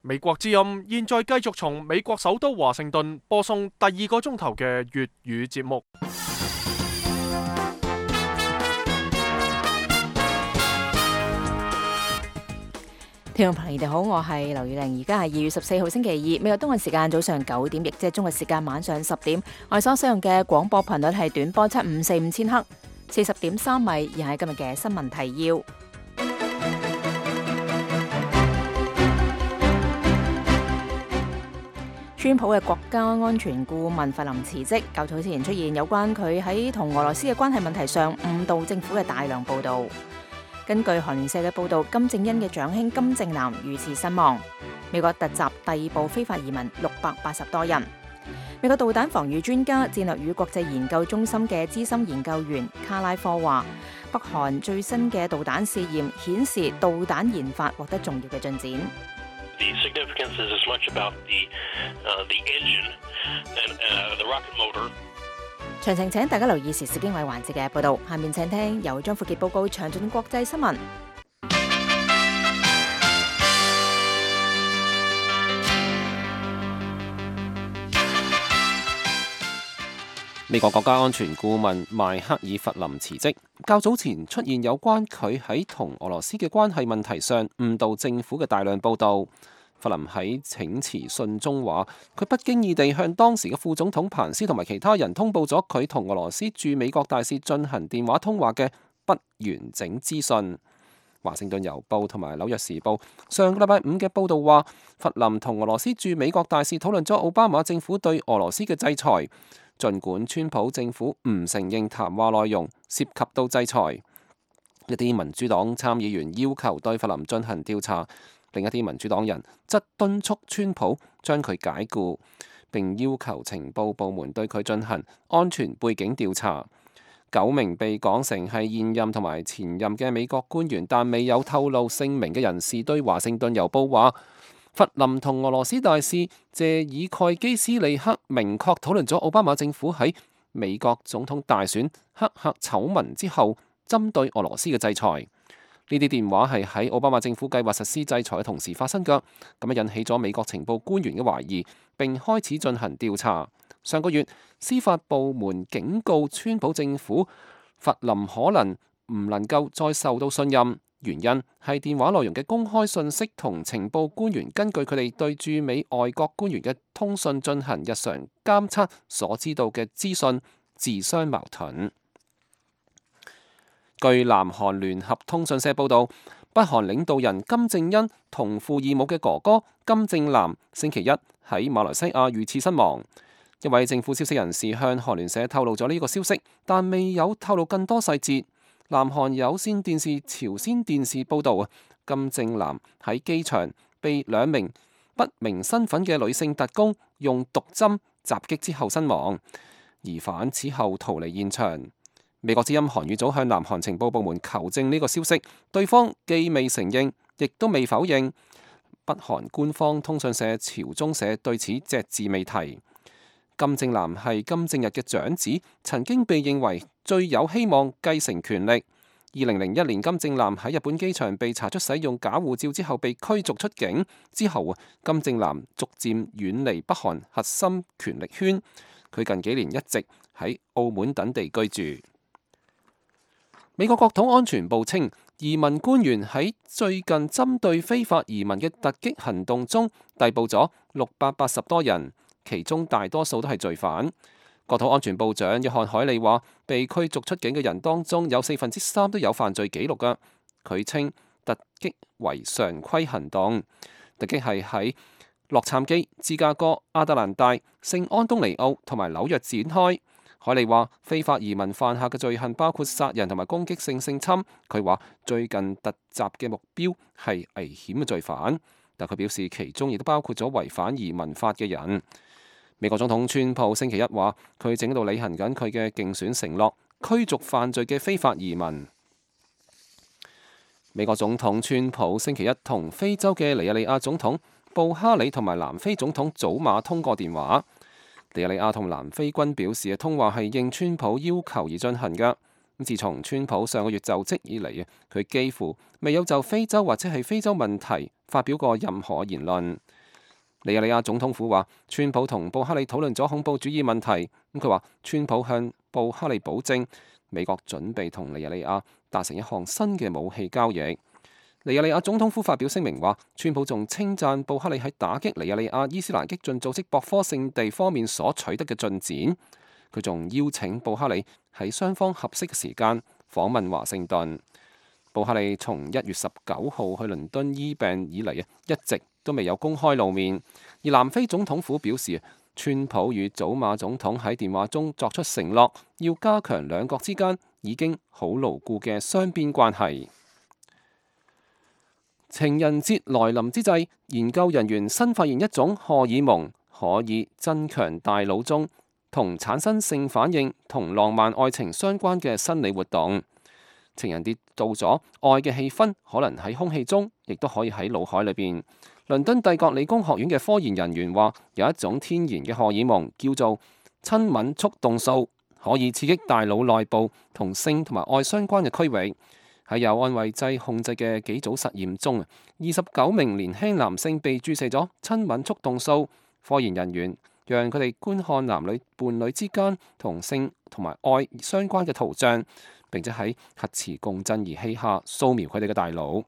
美國之音現在繼續從美國首都華盛頓播送第二個鐘頭嘅粵語節目。聽眾朋友，你哋好，我係劉宇玲，而家係2月14號星期二，美國東岸時間早上9點，亦即係中國時間晚上10點。我哋所使用嘅廣播頻率係短波7545千赫，40.3米。而係今日嘅新聞提要。川普嘅國家安全顧問弗林辭職，較早前出現有關佢喺同俄羅斯嘅關係問題上誤導政府嘅大量報道。根據韓聯社嘅報導，金正恩嘅長兄金正男遇刺身亡。美國突襲逮捕非法移民680多人。美國導彈防禦專家、戰略與國際研究中心嘅資深研究員卡拉科話，北韓最新嘅導彈試驗顯示導彈研發獲得重要嘅進展。The significance is as much about the engine and the rocket motor. 詳情請大家留意時事經緯環節嘅報導。下面請聽由張富傑報告詳盡國際新聞。美國國家安全顧問邁克爾弗林辭職，較早前出現有關佢喺同俄羅斯嘅關係問題上誤導政府嘅大量報導。弗林喺請辭信中話，佢不經意地向當時嘅副總統彭斯同埋其他人通報咗佢同俄羅斯駐美國大使進行電話通話嘅不完整資訊。華盛頓郵報同埋紐約時報上個禮拜五嘅報導話，弗林同俄羅斯駐美國大使討論咗奧巴馬政府對俄羅斯嘅制裁。儘管川普政府唔承認談話內容涉及到制裁，一啲民主黨參議員要求對弗林進行調查，另一啲民主黨人則敦促川普將佢解僱，並要求情報部門對佢進行安全背景調查。9名被講成係現任同埋前任嘅美國官員，但未有透露姓名嘅人士對華盛頓郵報話，弗林同俄羅斯大使謝爾蓋基斯利克明確討論咗奧巴馬政府喺美國總統大選黑客醜聞之後針對俄羅斯嘅制裁。呢啲電話係喺奧巴馬政府計劃實施制裁嘅同時發生㗎，咁樣引起咗美國情報官員嘅懷疑，並開始進行調查。上個月，司法部門警告川普政府，弗林可能唔能夠再受到信任。原因係電話內容嘅公開信息同情報官員根據佢哋對駐美外國官員嘅通訊進行日常監測所知道嘅資訊自相矛盾。據南韓聯合通訊社報導，北韓領導人金正恩同父異母嘅哥哥金正男星期一喺馬來西亞遇刺身亡。一位政府消息人士向韓聯社透露咗呢個消息，但未有透露更多細節。南韓有線電視朝鮮電視報導，金正男喺機場被2名不明身份嘅女性特工用毒針襲擊之後身亡，疑犯此後逃離現場。美國之音韓語組向南韓情報部門求證呢個消息，對方既未承認，亦都未否認。北韓官方通訊社朝中社對此隻字未提。金正男係金正日嘅長子，曾經被認為最有希望繼承權力。2001年，金正男喺日本機場被查出使用假護照之後被驅逐出境。之後，金正男逐漸遠離北韓核心權力圈。佢近幾年一直喺澳門等地居住。美國國土安全部稱，移民官員喺最近針對非法移民嘅突擊行動中逮捕咗680多人。其中大多數都係罪犯。國土安全部長約翰海利話，被驅逐出境嘅人當中有3/4都有犯罪記錄㗎。佢稱突擊為常規行動，突擊係喺洛杉磯、芝加哥、亞特蘭大、聖安東尼奧同埋紐約展開。海利話，非法移民犯下嘅罪行包括殺人同埋攻擊性性侵。佢話最近突襲嘅目標係危險嘅罪犯，但佢表示其中亦都包括咗違反移民法嘅人。美國總統川普星期一話，佢正喺度履行緊佢嘅競選承諾，驅逐犯罪嘅非法移民。美國總統川普星期一同非洲嘅尼日利亞總統布哈里同埋南非總統祖馬通過電話。尼日利亞同南非軍表示嘅通話係應川普要求而進行嘅。自從川普上個月就職以嚟，佢幾乎未有就非洲或者係非洲問題發表過任何言論。尼日利亞總統府話，川普同布哈里討論咗恐怖主義問題。佢話，川普向布哈里保證，美國準備同尼日利亞達成一項新嘅武器交易。尼日利亞總統府發表聲明話，川普仲稱讚布哈里喺打擊尼日利亞伊斯蘭激進組織博科聖地方面所取得嘅進展。佢仲邀請布哈里喺雙方合適嘅時間訪問華盛頓。布哈里從1月19號去倫敦醫病以嚟一直都未有公開露面。而南非總統府表示，川普與祖馬總統喺電話中作出承諾，要加強兩國之間已經好牢固嘅雙邊關係。情人節來臨之際，研究人員新發現一種荷爾蒙可以增強大腦中同產生性反應同浪漫愛情相關嘅生理活動。情人節到咗，愛嘅氣氛可能喺空氣中，亦都可以喺腦海裏邊。倫敦帝國理工學院嘅科研人員話，有一種天然嘅荷爾蒙叫做親吻促動素，可以刺激大腦內部同性同埋愛相關嘅區域。喺有安慰劑控制嘅幾組實驗中，29名年輕男性被注射咗親吻促動素。科研人員讓佢哋觀看男女伴侶之間同性同埋愛相關嘅圖像，並且喺核磁共振儀器下掃描佢哋嘅大腦。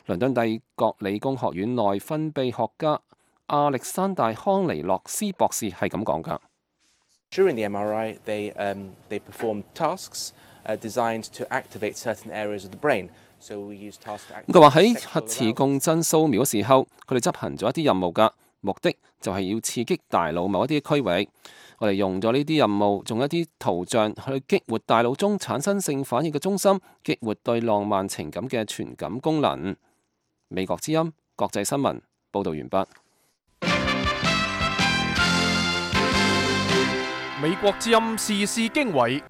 倫敦帝國理工學院內分泌學家亞歷山大康尼洛斯博士係咁講㗎。During the MRI, they perform tasks designed to activate certain areas of the brain. So we use tasks to activate. 佢話喺核磁共振掃描嘅時候，佢哋執行咗一啲任務㗎，目的就係要刺激大腦某一啲區域。我哋用咗呢啲任務，用一啲圖像去激活大腦中產生性反應嘅中心，激活對浪漫情感嘅傳感功能。美國之音國際新聞報導完畢。美國之音時事經緯，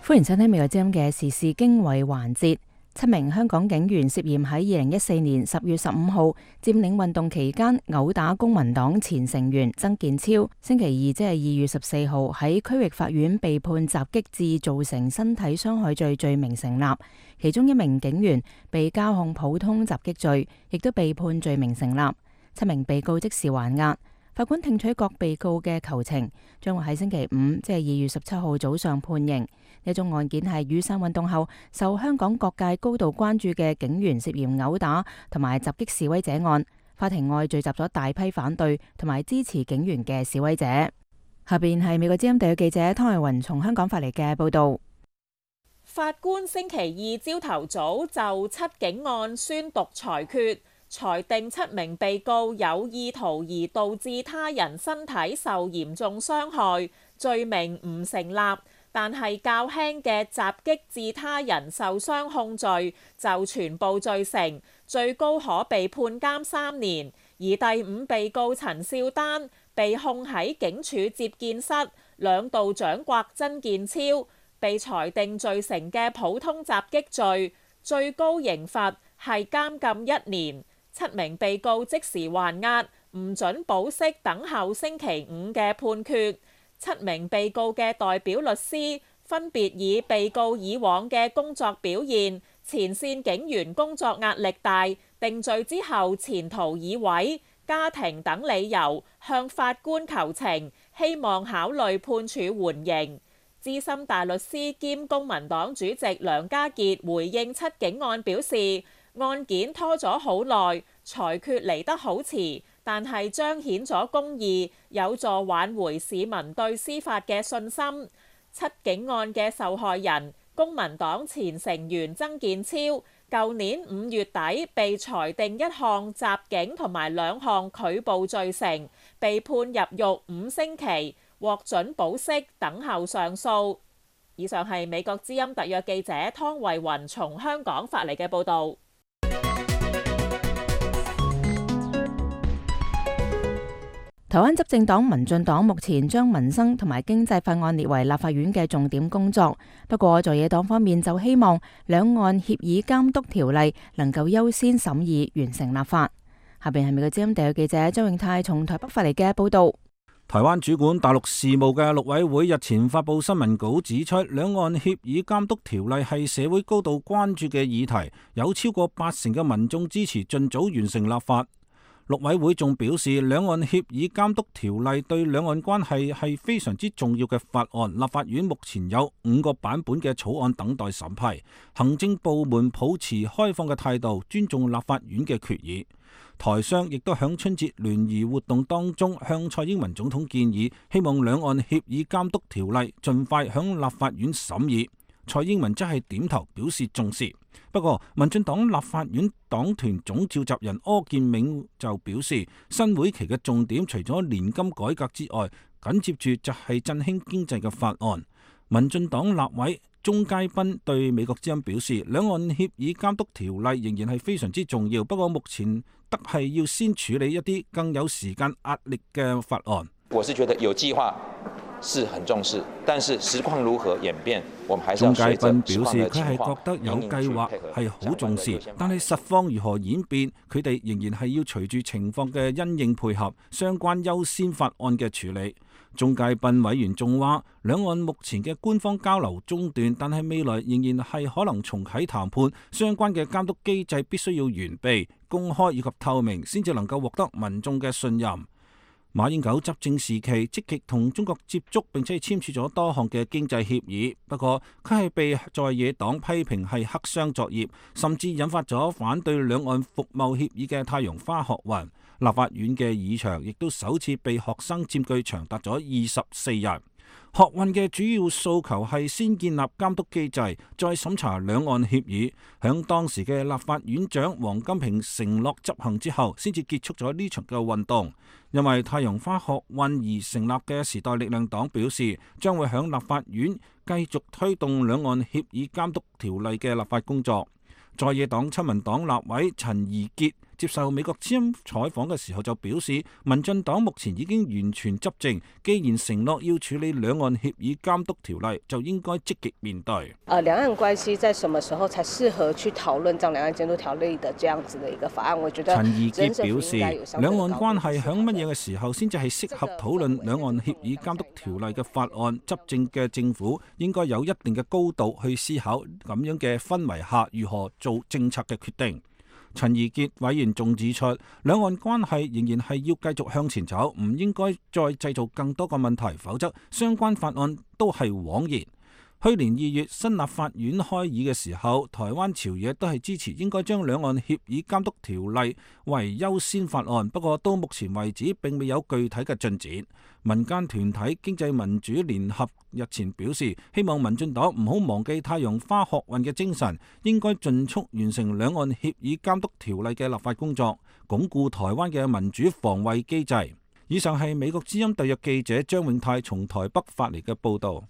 歡迎收聽美國之音嘅時事經緯環節。7名香港警員涉嫌喺2014年10月15號佔領運動期間毆打公民黨前成員曾健超，星期二即係2月14號喺區域法院被判襲擊致造成身體傷害罪罪名成立，其中1名警員被交控普通襲擊罪，亦都被判罪名成立。7名被告即時還押。法官聽取各被告嘅求情，將會喺星期5即係2月17號早上判刑。呢宗案件係雨傘運動後受香港各界高度關注嘅警員涉嫌毆打同埋襲擊示威者案。法庭外聚集咗大批反對同埋支持警員嘅示威者。下邊係美國之音特約記者湯慧雲從香港發嚟嘅報道。法官星期二朝頭早就七警案宣讀裁決，裁定7名被告有意圖而導致他人身體受嚴重傷害，罪名唔成立，但係較輕嘅襲擊致他人受傷控罪就全部罪成，最高可被判監3年。而第5被告陳少丹被控喺警署接見室2度掌摑曾健超，被裁定罪成嘅普通襲擊罪，最高刑罰係監禁1年。7名被告即時還押，唔准保釋，等候星期5嘅判決。7名被告嘅代表律師分別以被告以往嘅工作表現、前線警員工作壓力大、定罪之後前途已毀、家庭等理由向法官求情，希望考慮判處緩刑。資深大律師兼公民黨主席梁家傑回應7警案表示，案件拖咗好耐，裁決嚟得好遲，但係彰顯咗公義，有助挽回市民對司法嘅信心。7警案嘅受害人，公民黨前成員曾健超，舊年5月底被裁定1項襲警同埋2項拒捕罪成，被判入獄5星期，獲准保釋，等候上訴。以上係美國之音特約記者湯慧雲從香港發嚟嘅報導。台灣執政黨民進黨目前將民生同埋經濟法案列為立法院嘅重點工作，不過在野黨方面就希望兩岸協議監督條例能夠優先審議完成立法。下邊係美國之音特約記者周永泰從台北發嚟嘅報道。台灣主管大陸事務嘅陸委會日前發布新聞稿指出，兩岸協議監督條例係社會高度關注嘅議題，有超過80%嘅民眾支持盡早完成立法。陸委會仲表示，兩岸協議監督條例對兩岸關係係非常之重要嘅法案，立法院目前有5個版本嘅草案等待審批，行政部門抱持開放嘅態度，尊重立法院嘅決議。台商亦都響春節聯誼活動當中向蔡英文總統建議，希望兩岸協議監督條例盡快響立法院審議。蔡英文則係點頭表示重視。不過，民進黨立法院黨團總召集人柯建銘就表示，新會期嘅重點除咗年金改革之外，緊接住就係振興經濟嘅法案。民進黨立委鍾佳濱對美國之音表示，兩岸協議監督條例仍然係非常之重要，不過目前得係要先處理一啲更有時間壓力嘅法案。我是覺得有計劃是很重視，但是實況如何演變，我們還是要隨着實況的情況。鍾佳濱表示，佢係覺得有計劃係好重視，但係實況如何演變，佢哋仍然係要隨住情況嘅因應配合相關優先法案嘅處理。鍾佳濱委員仲話，兩岸目前嘅官方交流中斷，但係未來仍然係可能重啟談判，相關嘅監督機制必須要完備、公開以及透明，先至能夠獲得民眾嘅信任。馬英九執政時期積極同中國接觸，並且簽署咗多項嘅經濟協議，不過佢係被在野黨批評係黑箱作業，甚至引發咗反對兩岸服貿協議嘅太陽花學運。立法院嘅議場亦都首次被學生佔據長達咗24日。學運嘅主要訴求係先建立監督機制，再審查兩岸協議。響當時嘅立法院長王金平承諾執行之後，先至結束咗呢場嘅運動。因為太陽花學運而成立嘅時代力量黨表示，將會響立法院繼續推動兩岸協議監督條例嘅立法工作。在野黨親民黨立委陳怡傑接受美國之音採訪嘅時候就表示，民進黨目前已經完全執政，既然承諾要處理兩岸協議監督條例，就應該積極面對。兩岸關係在什麼時候才適合去討論將兩岸監督條例的這樣子的一個法案？我覺得陳怡傑表示，兩岸關係響乜嘢嘅時候先至係適合討論兩岸協議監督條例嘅法案？執政嘅政府應該有一定嘅高度去思考咁樣嘅氛圍下如何做政策嘅決定。陳怡傑委員仲指出，兩岸關係仍然係要繼續向前走，唔應該再製造更多個問題，否則相關法案都係枉然。去年2月新立法院開議嘅時候，台灣朝野都係支持應該將兩岸協議監督條例為優先法案，不過到目前為止並未有具體嘅進展。民間團體經濟民主聯合日前表示，希望民進黨唔好忘記太陽花學運嘅精神，應該盡速完成兩岸協議監督條例嘅立法工作，鞏固台灣嘅民主防衛機制。以上係美國之音特約記者張永泰從台北發嚟嘅報導。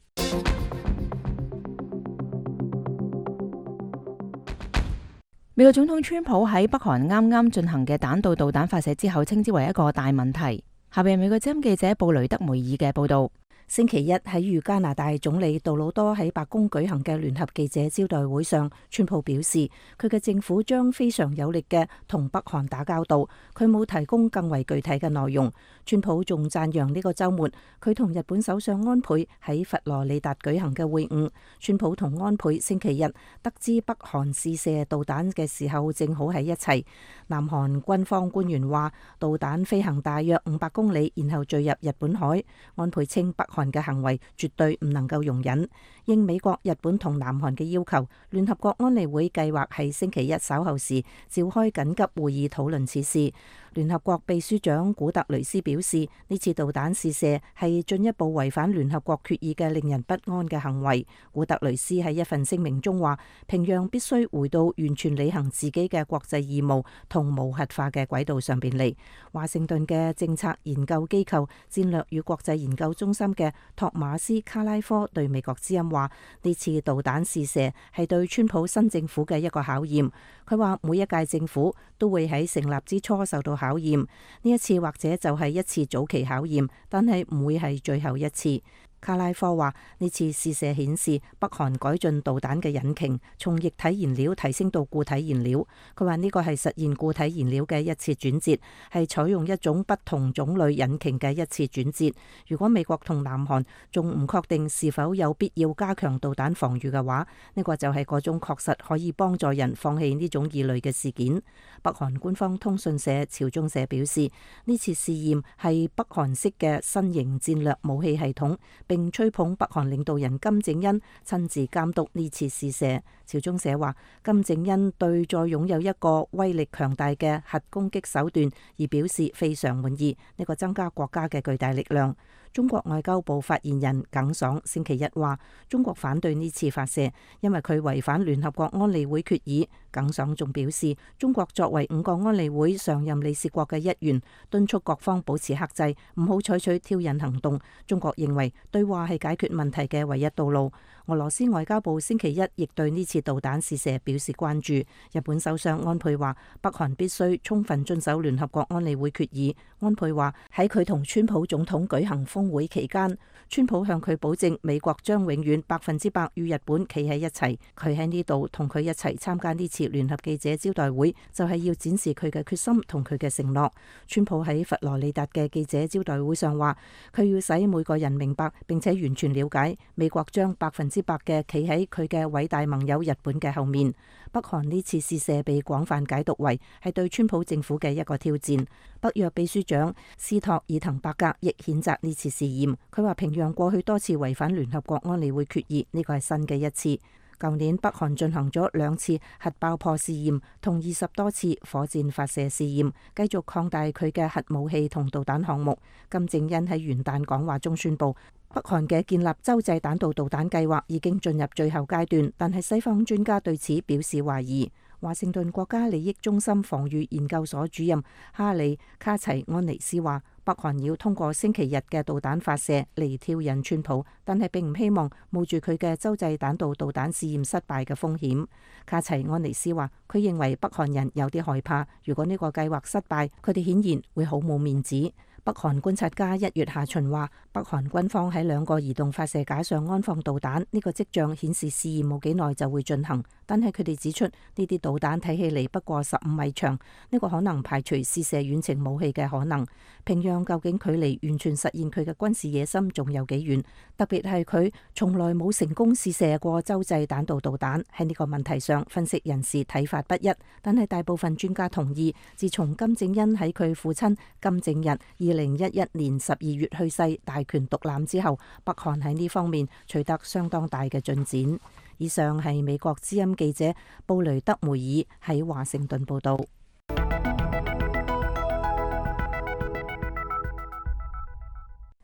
美國總統川普喺北韓啱啱進行嘅彈道導彈發射之後，稱之為一個大問題。下邊美國之音記者布雷德梅爾嘅報導。星期一喺與加拿大總理杜魯多喺白宮舉行嘅聯合記者招待會上，川普表示佢嘅政府將非常有力嘅同北韓打交道。佢冇提供更為具體嘅內容。川普仲讚揚呢個週末佢同日本首相安倍喺佛羅里達舉行嘅會晤。川普同安倍星期日得知北韓試射導彈嘅時候，正好喺一齊。南韓軍方官員話，導彈飛行大約500公里，然後墜入日本海。安倍稱北韓嘅行為絕對唔能夠容忍。應美國、日本同南韓嘅要求，聯合國安理會計劃喺星期一稍後時召開緊急會議討論此事。聯合國秘書長古特雷斯表示，呢次導彈試射係進一步違反聯合國決議嘅令人不安嘅行為。古特雷斯喺一份聲明中話，平壤必須回到完全履行自己嘅國際義務同無核化嘅軌道上邊嚟。華盛頓嘅政策研究機構戰略與國際研究中心嘅托馬斯卡拉科對美國之音話，呢次導彈試射係對川普新政府嘅一個考驗。佢話每一屆政府都會喺成立之初受到考驗，呢一次或者就係一次早期考驗，但係唔會係最後一次。卡拉科話：呢次試射顯示北韓改進導彈嘅引擎，從液體燃料提升到固體燃料。佢話呢個係實現固體燃料嘅一次轉折，係採用一種不同種類引擎嘅一次轉折。如果美國同南韓仲唔確定是否有必要加強導彈防禦嘅話，呢個就係嗰種確實可以幫助人放棄呢種異類嘅事件。北韓官方通訊社朝中社表示，呢次試驗係北韓式嘅新型戰略武器系統，並吹捧北韓領導人金正恩親自監督呢次試射。朝中社話，金正恩對再擁有一個威力強大嘅核攻擊手段而表示非常滿意，呢個增加國家嘅巨大力量。中國外交部發言人耿爽星期一話，中國反對呢次發射，因為佢違反聯合國安理會決議。耿爽仲表示，中國作為5個安理會常任理事國嘅一員，敦促各方保持克制，唔好採取挑釁行動。中國認為對話係解決問題嘅唯一道路。俄羅斯外交部星期一亦對呢次導彈試射表示關注。日本首相安倍話，北韓必須充分遵守聯合國安理會決議。安倍話，喺佢同川普總統舉行峰會期間，川普向佢保證美國將永遠100%與日本企喺一齊。佢喺呢度同佢一齊參加呢次聯合記者招待會，就係要展示佢嘅決心同佢嘅承諾。川普喺佛羅里達嘅記者招待會上話，佢要使每個人明白並且完全了解美國將100%嘅企喺佢嘅偉大盟友日本嘅後面。北韓呢次試射被廣泛解讀為係對川普政府嘅一個挑戰。北約秘書長斯托爾滕伯格亦譴責呢次試驗，佢話平壤過去多次違反聯合國安理會決議，呢個係新嘅一次。舊年北韓進行咗2次核爆破試驗同20多次火箭發射試驗，繼續擴大佢嘅核武器同導彈項目。金正恩喺元旦講話中宣布，北韓嘅建立洲際彈道導彈計劃已經進入最後階段，但係西方專家對此表示懷疑。華盛頓國家利益中心防禦研究所主任哈里卡齊安尼斯話，北韓要通過星期日嘅導彈發射嚟挑釁川普，但係並唔希望冒住佢嘅洲際彈道導彈試驗失敗嘅風險。卡齊安尼斯話，佢認為北韓人有啲害怕，如果呢個計劃失敗，佢哋顯然會好冇面子。北韓觀察家1月下旬話，北韓軍方喺2個移動發射架上安放導彈，呢個跡象顯示試驗冇幾耐就會進行。但係佢哋指出，呢啲導彈睇起嚟不過15米長，呢個可能排除試射遠程武器嘅可能。平壤究竟距離完全實現佢嘅軍事野心仲有幾遠？特別係佢從來冇成功試射過洲際彈道導彈。喺呢個問題上，分析人士睇法不一，但係大部分專家同意，自從金正恩喺佢父親金正日2011年12月去世，大權獨攬之後，北韓喺呢方面取得相當大嘅進展。以上係美國之音記者布雷德梅爾喺華盛頓報道。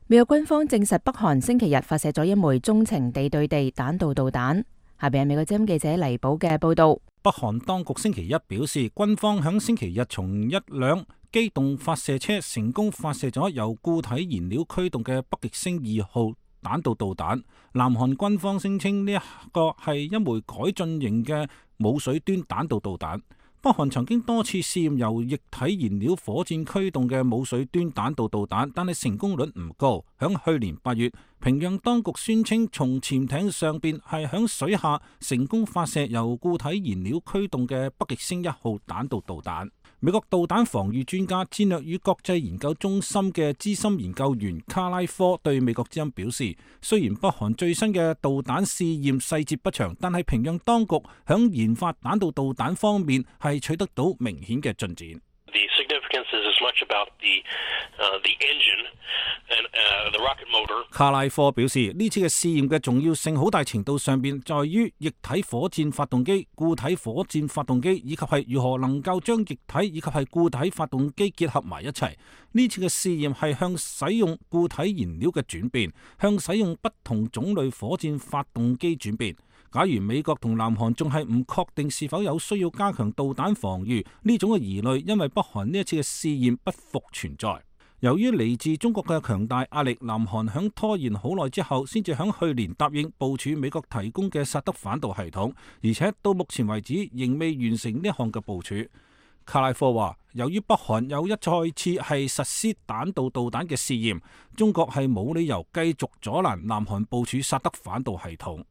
美國軍方證實北韓星期日發射咗一枚中程地對地彈道導彈。下邊係美國之音記者黎寶嘅報道。北韓當局星期一表示，軍方響星期日從一輛機動發射車成功發射咗由固體燃料驅動嘅北極星2號彈道導彈。南韓軍方聲稱呢一個係一枚改進型嘅母水端彈道導彈。北韓曾經多次試驗由液體燃料火箭驅動嘅母水端彈道導彈，但係成功率唔高。響去年8月，平壤當局宣稱從潛艇上邊係響水下成功發射由固體燃料驅動嘅北極星1號彈道導彈。美國導彈防禦專家、戰略與國際研究中心嘅資深研究員卡拉科對美國之音表示，雖然北韓最新嘅導彈試驗細節不詳，但係平壤當局響研發彈道導彈方面係取得到明顯嘅進展。The significance is as much about the engine and the rocket motor. 卡拉科表示，呢次嘅試驗嘅重要性好大程度上邊在於液體火箭發動機、固體火箭發動機，以及係如何能夠將液體以及係固體發動機結合埋一齊。呢次嘅試驗係向使用固體燃料嘅轉變，向使用不同種類火箭發動機轉變。假如美國同南韓仲係唔確定是否有需要加強導彈防禦，呢種嘅疑慮因為北韓呢一次嘅試驗不復存在。由於嚟自中國嘅強大壓力，南韓響拖延好耐之後，先至響去年答應部署美國提供嘅薩德反導系統，而且到目前為止仍未完成呢項嘅部署。卡拉科話，由於北韓又一再次係實施彈道導彈嘅試驗，中國係冇理由繼續阻攔南韓部署薩德反導系統。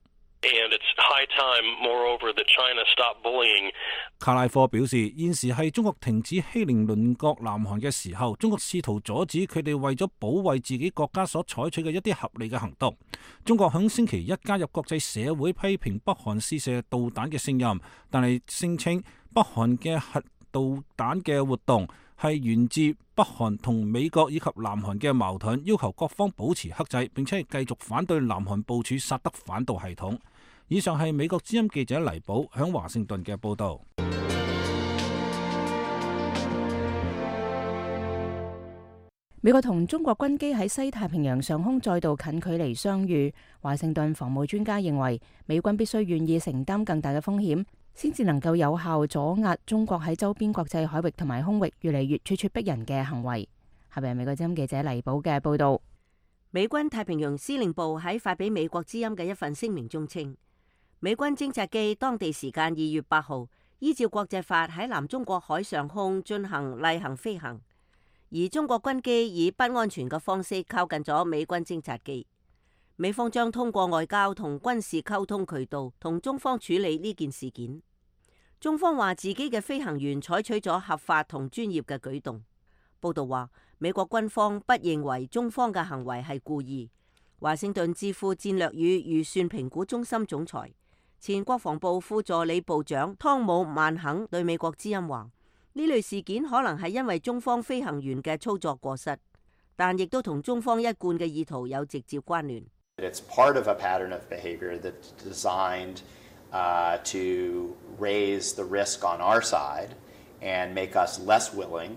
And it's high time, moreover, that China stop bullying. 卡拉科表示，現時係中國停止欺凌鄰國南韓嘅時候，中國試圖阻止佢哋為咗保衛自己國家所採取嘅一啲合理嘅行動。中國響星期一加入國際社會批評北韓試射導彈嘅聲音，但係聲稱北韓嘅核導彈嘅活動係源自北韓同美國以及南韓嘅矛盾，要求各方保持克制，並且係繼續反對南韓部署薩德反導系統。以上係美國之音記者黎寶響華盛頓嘅報導。美國同中國軍機喺西太平洋上空再度近距離相遇。華盛頓防務專家認為，美軍必須願意承擔更大嘅風險，先至能夠有效阻壓中國喺周邊國際海域同埋空域越嚟越咄咄逼人嘅行為。下邊係美國之音記者黎寶嘅報導。美軍太平洋司令部喺發俾美國之音嘅一份聲明中稱，美軍偵察機當地時間2月8號依照國際法喺南中國海上空進行例行飛行，而中國軍機以不安全嘅方式靠近咗美軍偵察機。美方將通過外交同軍事溝通渠道同中方處理呢件事件。中方話自己嘅飛行員採取咗合法同專業嘅舉動。報道話，美國軍方不認為中方嘅行為係故意。華盛頓智庫戰略與預算評估中心總裁、前國防部副助理部長湯姆曼肯對美國之音話：呢類事件可能係因為中方飛行員嘅操作過失，但亦都同中方一貫嘅意圖有直接關聯。It's part of a pattern of behavior that's designed to raise the risk on our side and make us less willing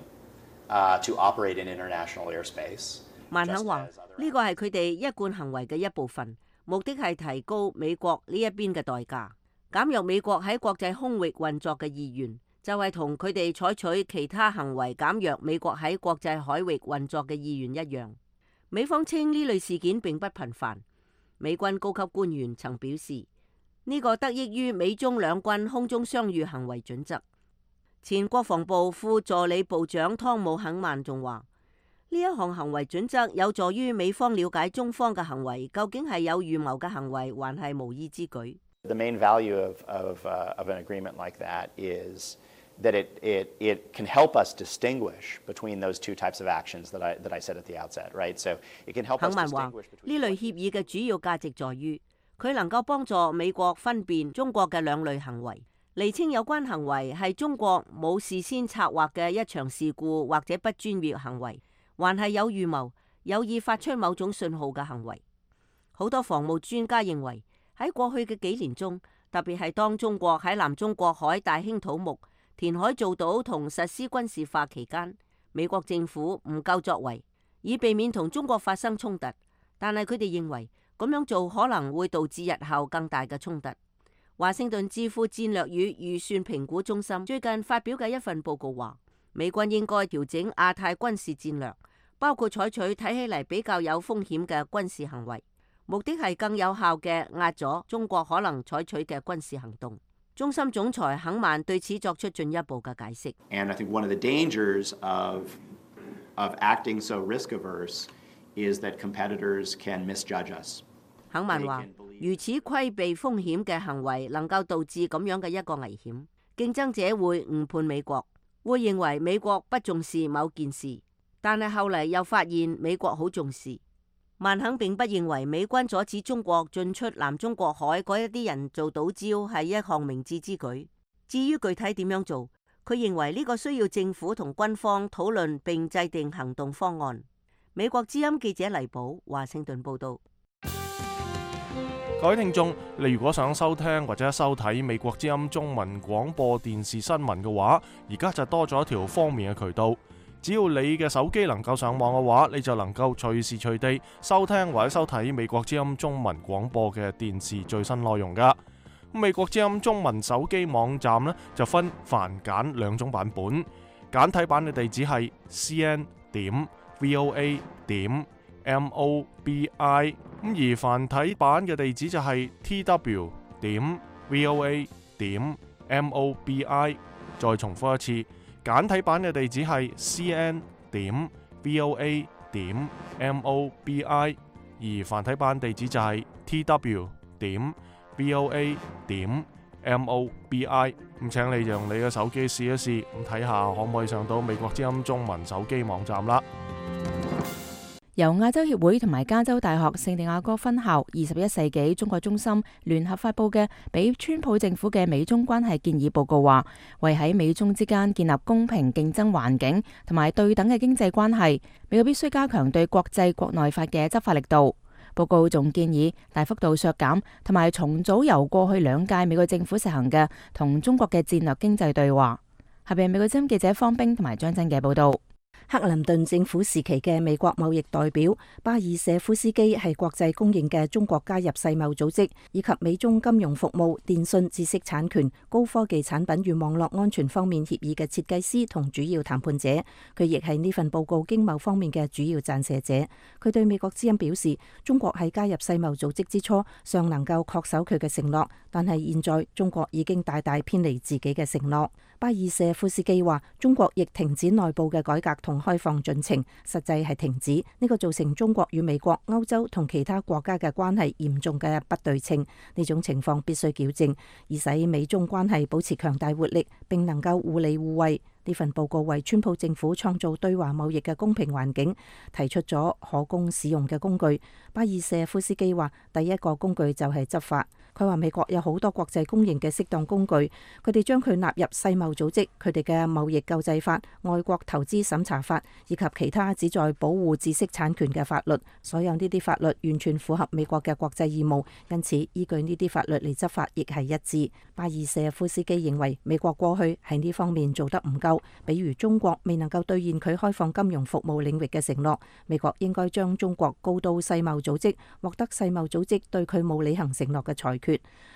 to operate in international airspace. 曼肯話：呢個係佢哋一貫行為嘅一部分，目的係提高美國呢一邊嘅代價，減弱美國喺國際空域運作嘅意願，就係同佢哋採取其他行為減弱美國喺國際海域運作嘅意願一樣。美方稱呢類事件並不頻繁。美軍高級官員曾表示，呢個得益於美中兩軍空中相遇行為準則。前國防部副助理部長湯姆肯曼仲話：呢一項行為準則有助於美方了解中方嘅行為究竟係有預謀嘅行為，還係無意之舉。The main value of an agreement like that is that it can help us distinguish between those two types of actions that I said at the outset, right? So it can help us distinguish between. 肯曼話：呢類協議嘅主要價值在於，佢能夠幫助美國分辨中國嘅兩類行為，釐清有關行為係中國冇事先策劃嘅一場事故或者不專業行為，還係有預謀、有意發出某種信號嘅行為。好多防務專家認為，喺過去嘅幾年中，特別係當中國喺南中國海大興土木、填海造島同實施軍事化期間，美國政府唔夠作為，以避免同中國發生衝突。但係佢哋認為咁樣做可能會導致日後更大嘅衝突。華盛頓智庫戰略與預算評估中心最近發表嘅一份報告話，美軍應該調整亞太軍事戰略，包括採取睇起嚟比較有風險嘅軍事行為，目的係更有效嘅壓阻中國可能採取嘅軍事行動。中心總裁肯曼對此作出進一步嘅解釋。And I think one of the dangers of acting so risk-averse is that competitors can misjudge us. 肯曼話：如此規避風險嘅行為能夠導致咁樣嘅一個危險，競爭者會誤判美國，會認為美國不重視某件事，但係後嚟又發現美國好重視。曼肯並不認為美軍阻止中國進出南中國海嗰一啲人造島礁係一項明智之舉。至於具體點樣做，佢認為呢個需要政府同軍方討論並制定行動方案。美國之音記者黎寶，華盛頓報道。各位聽眾，你如果想收聽或者收睇美國之音中文廣播電視新聞嘅話，而家就多咗一條方便嘅渠道。只要你嘅手機能夠上網嘅話，你就能夠隨時隨地收聽或者收睇美國之音中文廣播嘅電視最新內容噶。美國之音中文手機網站呢，就分繁簡兩種版本，簡體版嘅地址係 cn.voa.mobi， 而繁體版嘅地址就係 tw.voa.mobi。再重複一次，簡體版嘅地址係 cn.voa.mobi， 而繁體版地址就係 tw.voa.mobi。咁請你用你嘅手機試一試，咁睇下可唔可以上到美國之音中文手機網站啦。由亞洲協會同埋加州大學聖地亞哥分校21世紀中國中心聯合發佈嘅俾川普政府嘅美中關係建議報告話，為喺美中之間建立公平競爭環境同埋對等嘅經濟關係，美國必須加強對國際國內法嘅執法力度。報告仲建議大幅度削減同埋重組由過去2屆美國政府實行嘅同中國嘅戰略經濟對話。下邊美國之音記者方冰同埋張真嘅報道。克林頓政府時期嘅美國貿易代表巴爾舍夫斯基係國際公認嘅中國加入世貿組織以及美中金融服務、電信、知識產權、高科技產品與網絡安全方面協議嘅設計師同主要談判者。佢亦係呢份報告經貿方面嘅主要撰寫者。佢對美國之音表示，中國喺加入世貿組織之初尚能夠恪守佢嘅承諾，但係現在中國已經大大偏離自己嘅承諾。巴爾舍夫斯基話，中國亦停止內部嘅改革同開放進程，實際係停止，呢個造成中國與美國、歐洲同其他國家嘅關係嚴重嘅不對稱。呢種情況必須矯正，以使美中關係保持強大活力，並能夠互利互惠。呢份報告為川普政府創造對華貿易嘅公平環境提出咗可供使用嘅工具。巴爾舍夫斯基話，第一個工具就係執法。佢話美國有好多國際公認嘅適當工具，佢哋將佢納入世貿組織，佢哋嘅貿易救濟法、外國投資審查法以及其他旨在保護知識產權嘅法律。所有呢啲法律完全符合美國嘅國際義務，因此依據呢啲法律嚟執法亦係一致。巴爾舍夫斯基認為美國過去喺呢方面做得唔夠，比如中國未能夠兌現佢開放金融服務領域嘅承諾，美國應該將中國告到世貿組織，獲得世貿組織對佢冇履行承諾嘅裁決。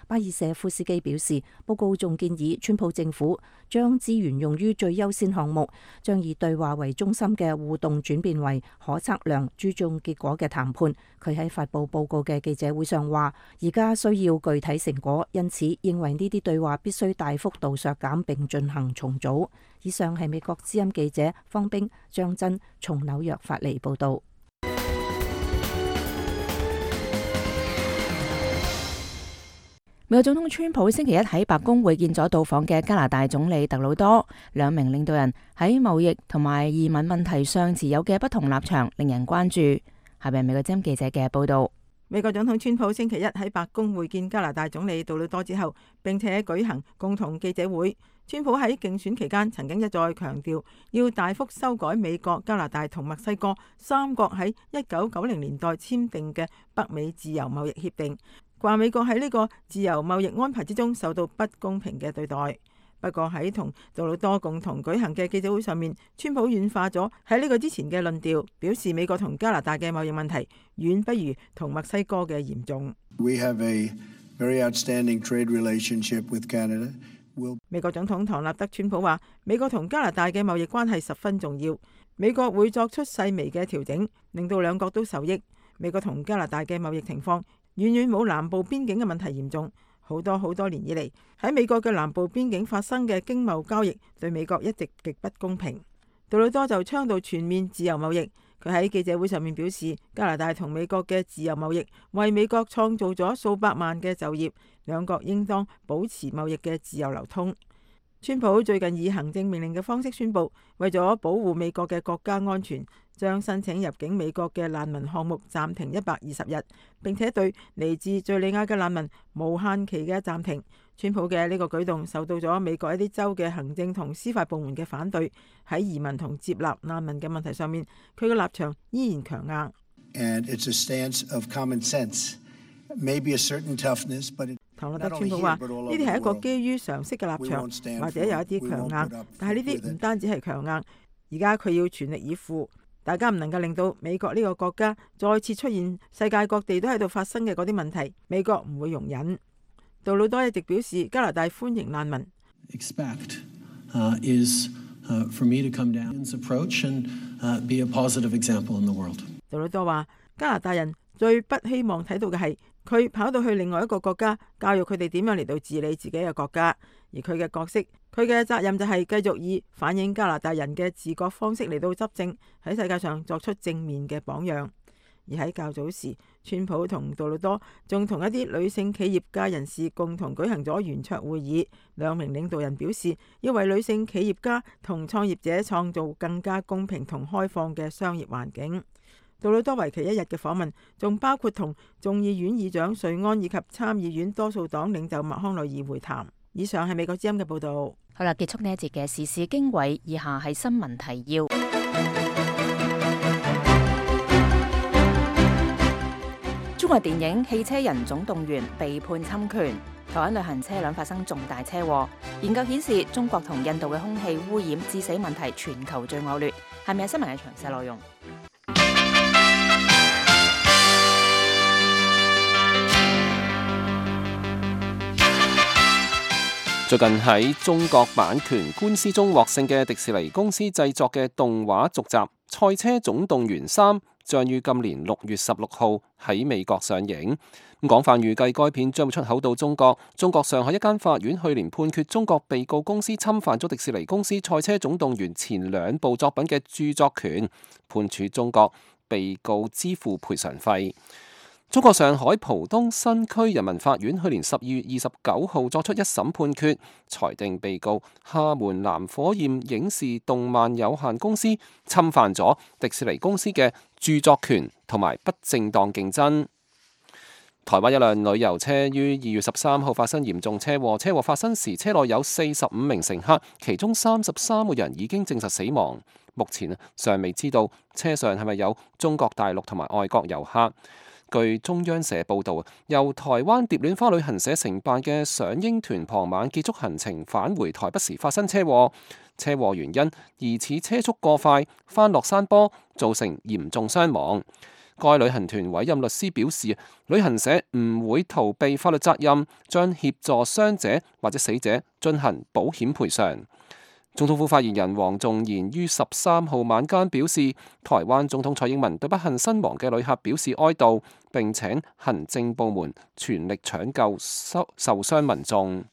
巴爾舍夫斯基表示，報告仲建議川普政府將資源用於最優先項目，將以對話為中心嘅互動轉變為可測量、注重結果嘅談判。佢喺發佈報告嘅記者會上話，而家需要具體成果，因此認為呢啲對話必須大幅度削減並進行重組。以上係美國之音記者方冰、張真從紐約發嚟報道。美國總統川普星期一喺白宮會見咗到訪嘅加拿大總理特魯多，兩名領導人喺貿易同埋移民問題上持有嘅不同立場令人關注。下邊美國之音記者嘅報道。美國總統川普星期一喺白宮會見加拿大總理杜魯多之後，並且舉行共同記者會。川普喺競選期間曾經一再強調，要大幅修改美國、加拿大同墨西哥三國喺1990年代簽訂嘅北美自由貿易協定，話美國喺呢個自由貿易安排之中受到不公平嘅對待。不過喺同杜魯多共同舉行嘅記者會上面，川普軟化咗喺呢個之前嘅論調，表示美國同加拿大嘅貿易問題遠不如同墨西哥嘅嚴重。We have a very outstanding trade relationship with Canada. 美國總統唐納德川普話，美國同加拿大嘅貿易關係十分重要，美國會作出細微嘅調整，令到兩國都受益。美國同加拿大嘅貿易情況遠遠冇南部邊境嘅問題嚴重。好多年以嚟，喺美國嘅南部邊境發生嘅經貿交易對美國一直極不公平。杜魯多就倡導全面自由貿易。佢喺記者會上面表示，加拿大同美國嘅自由貿易為美國創造咗數百萬嘅就業，兩國應當保持貿易嘅自由流通。川普最近以行政命令嘅方式宣布，為咗保護美國嘅國家安全，將申請入境美國嘅難民項目暫停120日，並且對嚟自敘利亞嘅難民無限期嘅暫停。川普嘅呢個舉動受到咗美國一啲州嘅行政同司法部門嘅反對。喺移民同接納難民嘅問題上面，佢嘅立場依然強硬。And it's a stance of common sense. Maybe a certain toughness, but 唐納德川普話：呢啲係一個基於常識嘅立場，或者有一啲強硬，但係呢啲唔單止係強硬。而家佢要全力以赴，大家唔能夠令到美國呢個國家再次出現世界各地都喺度發生嘅嗰啲問題，美國唔會容忍。杜魯多一直表示加拿大歡迎難民。For me to come down and approach and be a positive example in the world. 杜魯多話：加拿大人最不希望睇到嘅係佢跑到去另外一個國家，教育佢哋點樣嚟到治理自己嘅國家，而佢嘅角色佢嘅責任就係繼續以反映加拿大人嘅自覺方式嚟到執政，喺世界上作出正面嘅榜樣。而喺較早時，川普同杜魯多仲同一啲女性企業家人士共同舉行咗圓桌會議，兩名領導人表示要為女性企業家同創業者創造更加公平同開放嘅商業環境。杜魯多為期1日嘅訪問，仲包括同眾議院議長瑞安以及參議院多數黨領袖麥康奈爾會談。以上係美國之音嘅報導。好啦，結束呢一節嘅時事經緯，以下係新聞提要。中國電影《汽車人總動員》被判侵權，台灣旅行車輛發生重大車禍。研究顯示，中國同印度嘅空氣污染致死問題全球最惡劣。係咪有新聞嘅詳細內容？最近喺中國版權官司中獲勝嘅迪士尼公司製作嘅動畫續集《賽車總動員3》將於今年6月16號喺美國上映。廣泛預計該片將會出口到中國。中國上海一間法院去年判決中國被告公司侵犯咗迪士尼公司《賽車總動員》前2部作品嘅著作權，判處中國被告支付賠償費。中國上海浦東新區人民法院去年12月29號作出一審判決，裁定被告廈門藍火焰影視動漫有限公司侵犯咗迪士尼公司嘅著作權同埋不正當競爭。台灣一輛旅遊車於2月13號發生嚴重車禍，車禍發生時車內有45名乘客，其中33個人已經證實死亡。目前尚未知道車上係咪有中國大陸同埋外國遊客。據中央社報導，由台灣蝶戀花旅行社承辦嘅賞櫻團傍晚結束行程返回台北時發生車禍，車禍原因疑似車速過快翻落山坡，造成嚴重傷亡。該旅行團委任律師表示，旅行社唔會逃避法律責任，將協助傷者或者死者進行保險賠償。總統府發言人黃仲賢於13號晚間表示，台灣總統蔡英文對不幸身亡嘅旅客表示哀悼，並請行政部門全力搶救受傷民眾。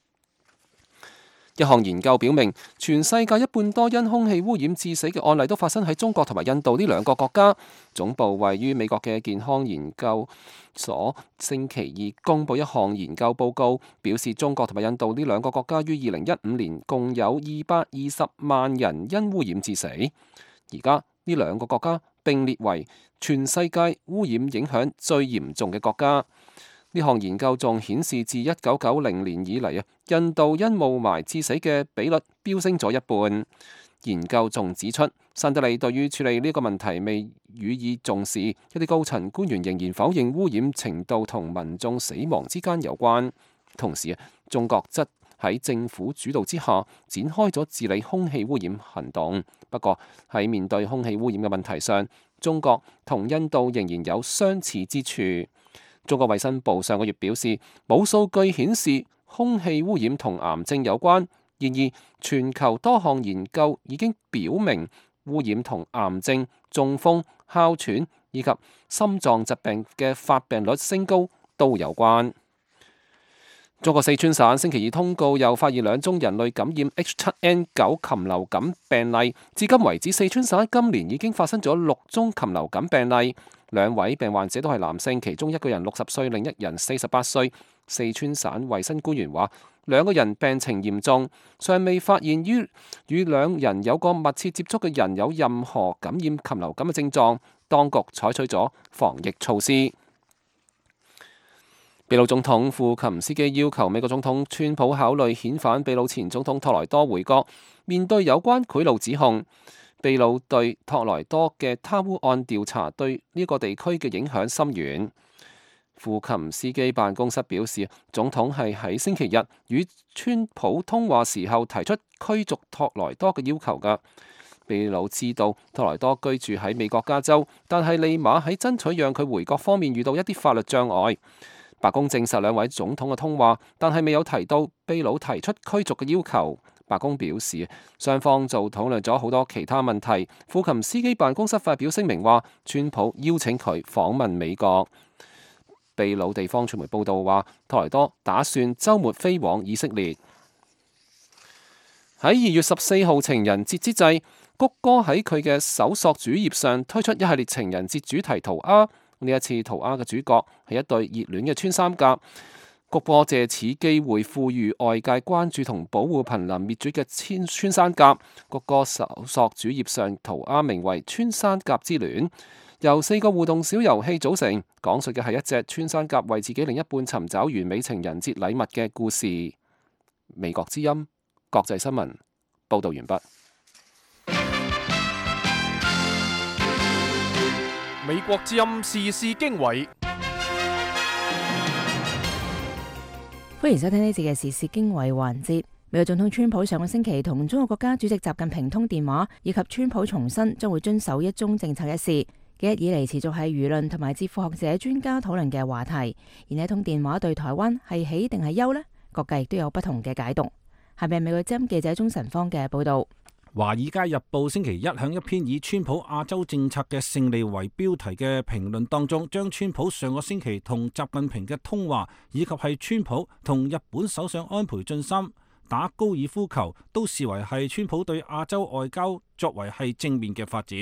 一項研究表明，全世界一半多因空氣污染致死嘅案例都發生喺中國同埋印度呢2個國家。總部位於美國嘅健康研究所星期2公布一項研究報告，表示中國同埋印度呢2個國家於2015年共有220萬人因污染致死。而家呢2個國家並列為全世界污染影響最嚴重嘅國家。呢項研究仲顯示，自1990年以嚟印度因霧霾致死嘅比率飆升咗1半。研究仲指出，新德里對於處理呢個問題未予以重視，一啲高層官員仍然否認污染程度同民眾死亡之間有關。同時，中國則喺政府主導之下展開咗治理空氣污染行動。不過喺面對空氣污染嘅問題上，中國同印度仍然有相似之處。中國衛生部上個月表示，冇數據顯示空氣污染同癌症有關。然而，全球多項研究已經表明，污染同癌症、中風、哮喘以及心臟疾病嘅發病率升高都有關。中國四川省星期2通告，又發現2宗人類感染 H7N9 禽流感病例。至今為止，四川省今年已經發生咗6宗禽流感病例。2位病患者都係男性，其中1個人60歲，另1人48歲。四川省衛生官員話，2個人病情嚴重，尚未發現與2人有過密切接觸嘅人有任何感染禽流感嘅症狀。當局採取咗防疫措施。秘魯總統庫琴斯基要求美國總統川普考慮遣返秘魯前總統托萊多回國。面對有關賄賂指控，秘魯對托萊多嘅貪污案調查對呢個地區嘅影響深遠。庫琴斯基辦公室表示，總統係喺星期日與川普通話時候提出驅逐托萊多嘅要求㗎。秘魯知道托萊多居住喺美國加州，但係利馬喺爭取讓佢回國方面遇到一啲法律障礙。白宮證實2位總統嘅通話，但係未有提到秘魯提出驅逐嘅要求。白宮表示，雙方就討論咗好多其他問題。庫琴斯基辦公室發表聲明話，川普邀請佢訪問美國。秘魯地方傳媒報道話，托萊多打算週末飛往以色列。喺2月14號情人節之際，谷歌喺佢嘅搜索主頁上推出一系列情人節主題塗鴉。呢一次塗鴉嘅主角係一對熱戀嘅穿山甲。谷歌借此機會賦予外界關注同保護瀕臨滅絕嘅穿山甲。谷歌搜索主頁上塗鴉名為《穿山甲之戀》，由4個互動小遊戲組成，講述嘅係一隻穿山甲為自己另一半尋找完美情人節禮物嘅故事。美國之音國際新聞報道完畢。美國之音時事經緯，歡迎收聽呢節嘅時事經緯環節。美國總統川普上個星期同中國國家主席習近平通電話，以及川普重申將會遵守一中政策一事，幾日以嚟持續係輿論同埋智庫學者專家討論嘅話題。而呢通電話對台灣係喜定係憂呢？各界亦都有不同嘅解讀。下面係美國之音記者鍾晨芳嘅報道。《華爾街日報》星期一響一篇以川普亞洲政策嘅勝利為標題嘅評論當中，將川普上個星期同習近平嘅通話，以及係川普同日本首相安倍晉三打高爾夫球，都視為係川普對亞洲外交作為係正面嘅發展。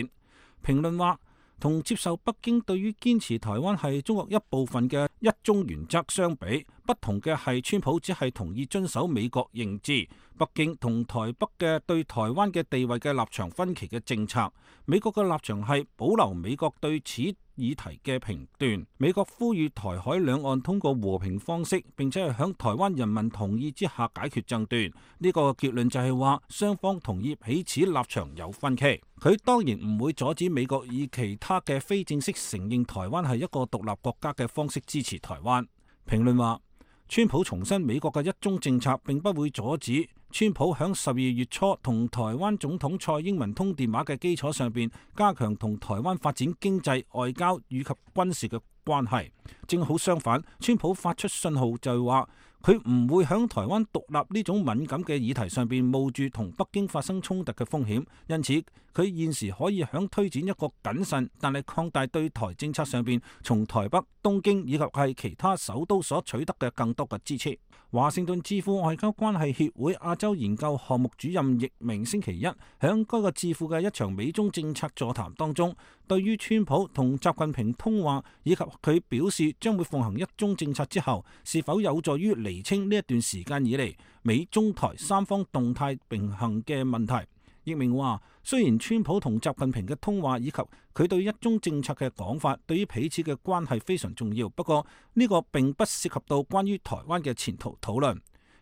評論話，同接受北京對於堅持台灣係中國一部分嘅一中原則相比，不同嘅係川普只係同意遵守美國認知，北京同台北嘅對台灣嘅地位嘅立場分歧嘅政策。美國嘅立場係保留美國對此議題嘅評斷。美國呼籲台海兩岸通過和平方式，並且係響台灣人民同意之下解決爭端。呢個結論就係話，雙方同意彼此立場有分歧。佢當然唔會阻止美國以其他嘅非正式承認台灣係一個獨立國家嘅方式支持台灣。評論話，川普重申美國嘅一中政策，並不會阻止川普響12月初同台灣總統蔡英文通電話嘅基礎上邊，加強同台灣發展經濟、外交以及軍事嘅關係。正好相反，川普發出信號就係話，佢唔會響台灣獨立呢種敏感嘅議題上邊冒住同北京發生衝突嘅風險，因此佢現時可以響推展一個謹慎但係擴大對台政策上邊，從台北、東京以及係其他首都所取得嘅更多嘅支持。華盛頓智庫外交關係協會亞洲研究項目主任易明星期一響該個智庫嘅一場美中政策座談當中，對於川普同習近平通話以及佢表示將會奉行一中政策之後，是否有助於釐清呢一段時間以嚟美中台三方動態並行嘅問題。易明話，雖然川普同習近平嘅通話以及佢對一中政策嘅講法對於彼此嘅關係非常重要，不過呢個並不涉及到關於台灣嘅前途討論。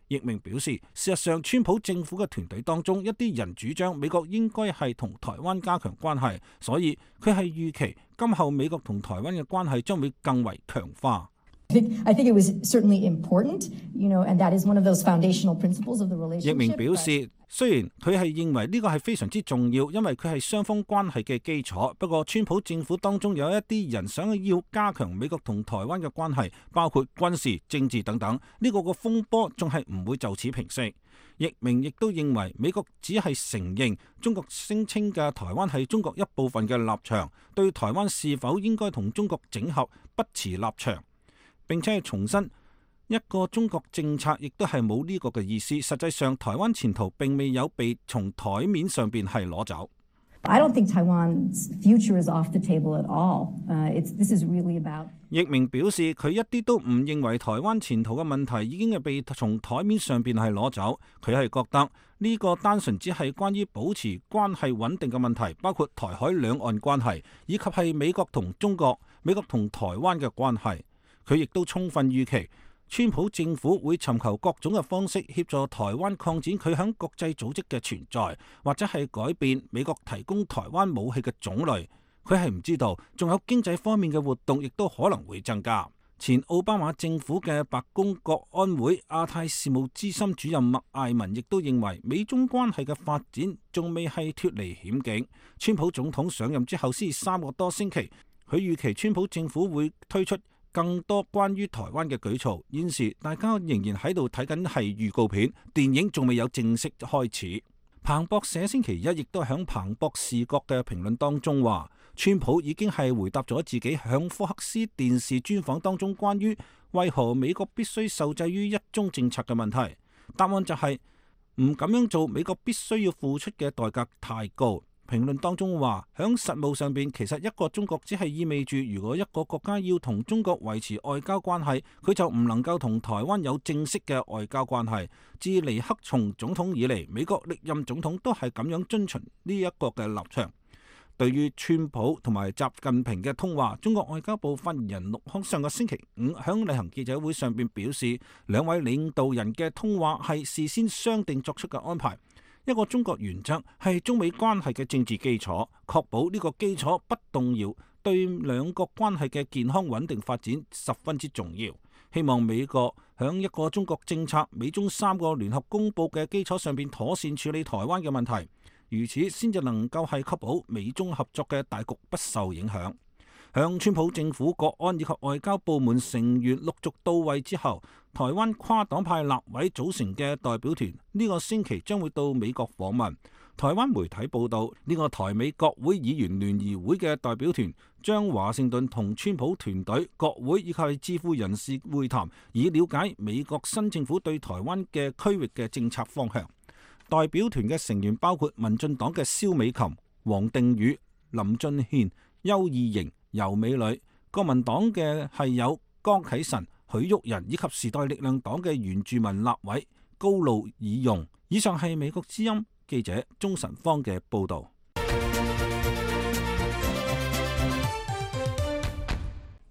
易明表示，事實上川普政府嘅團隊當中一啲人主張美國應該係同台灣加強關係，所以佢係預期今後美國同台灣嘅關係將會更為強化。I think it was certainly important, and that is one of those foundational principles of the relationship. 易明表示，雖然佢係認為呢個係非常之重要，因為佢係雙方關係嘅基礎。不過，川普政府當中有一啲人想要加強美國同台灣嘅關係，包括軍事、政治等等。呢個風波仲係唔會就此平息。易明亦都認為美國只係承認中國聲稱嘅台灣係中國一部分嘅立場，對台灣是否應該同中國整合不持立場。並且係重申一個中國政策，亦都係冇呢個嘅意思。實際上，台灣前途並未有被從台面上邊係攞走。I don't think Taiwan's future is off the table at all. This is really about. 易明表示，佢一啲都唔認為台灣前途嘅問題已經係被從台面上邊係攞走。佢係覺得呢個單純只係關於保持關係穩定嘅問題，包括台海兩岸關係，以及係美國同中國、美國同台灣嘅關係。佢亦都充分預期，川普政府會尋求各種嘅方式協助台灣擴展佢響國際組織嘅存在，或者係改變美國提供台灣武器嘅種類。佢係唔知道，仲有經濟方面嘅活動亦都可能會增加。前奧巴馬政府嘅白宮國安會亞太事務資深主任麥艾文亦都認為，美中關係嘅發展仲未係脫離險境。川普總統上任之後先3個多星期，佢預期川普政府會推出更多關於台灣嘅舉措。現時大家仍然喺度睇緊係預告片，電影仲未有正式開始。彭博社星期一亦都喺彭博視角嘅評論當中話，川普已經係回答咗自己響福克斯電視專訪當中關於為何美國必須受制於一中政策嘅問題。答案就係唔咁樣做，美國必須要付出嘅代價太高。評論當中話，響實務上邊，其實一個中國只係意味住，如果一個國家要同中國維持外交關係，佢就唔能夠同台灣有正式嘅外交關係。自尼克松總統以嚟，美國歷任總統都係咁樣遵循呢一個嘅立場。對於川普同埋習近平嘅通話，中國外交部發言人陸康上個星期五響例行記者會上邊表示，兩位領導人嘅通話係事先商定作出嘅安排。一個中國原則係中美關係嘅政治基礎，確保呢個基礎不動搖，對兩國關係嘅健康穩定發展十分之重要。希望美國響一個中國政策、美中3個聯合公佈嘅基礎上邊妥善處理台灣嘅問題，如此先至能夠係確保美中合作嘅大局不受影響。向川普政府國安以及外交部門成員陸續到位之後，台灣跨黨派立委組成嘅代表團呢個星期將會到美國訪問。台灣媒體報道，呢個台美國會議員聯誼會嘅代表團將華盛頓同川普團隊、國會以及智庫人士會談，以了解美國新政府對台灣嘅區域嘅政策方向。代表團嘅成員包括民進黨嘅蕭美琴、黃定宇、林俊憲、邱義瑩、游美女；國民黨嘅係有江啟臣、許旭仁以及時代力量黨嘅原住民立委高路爾容。以上係美國之音記者鍾晨芳嘅報導。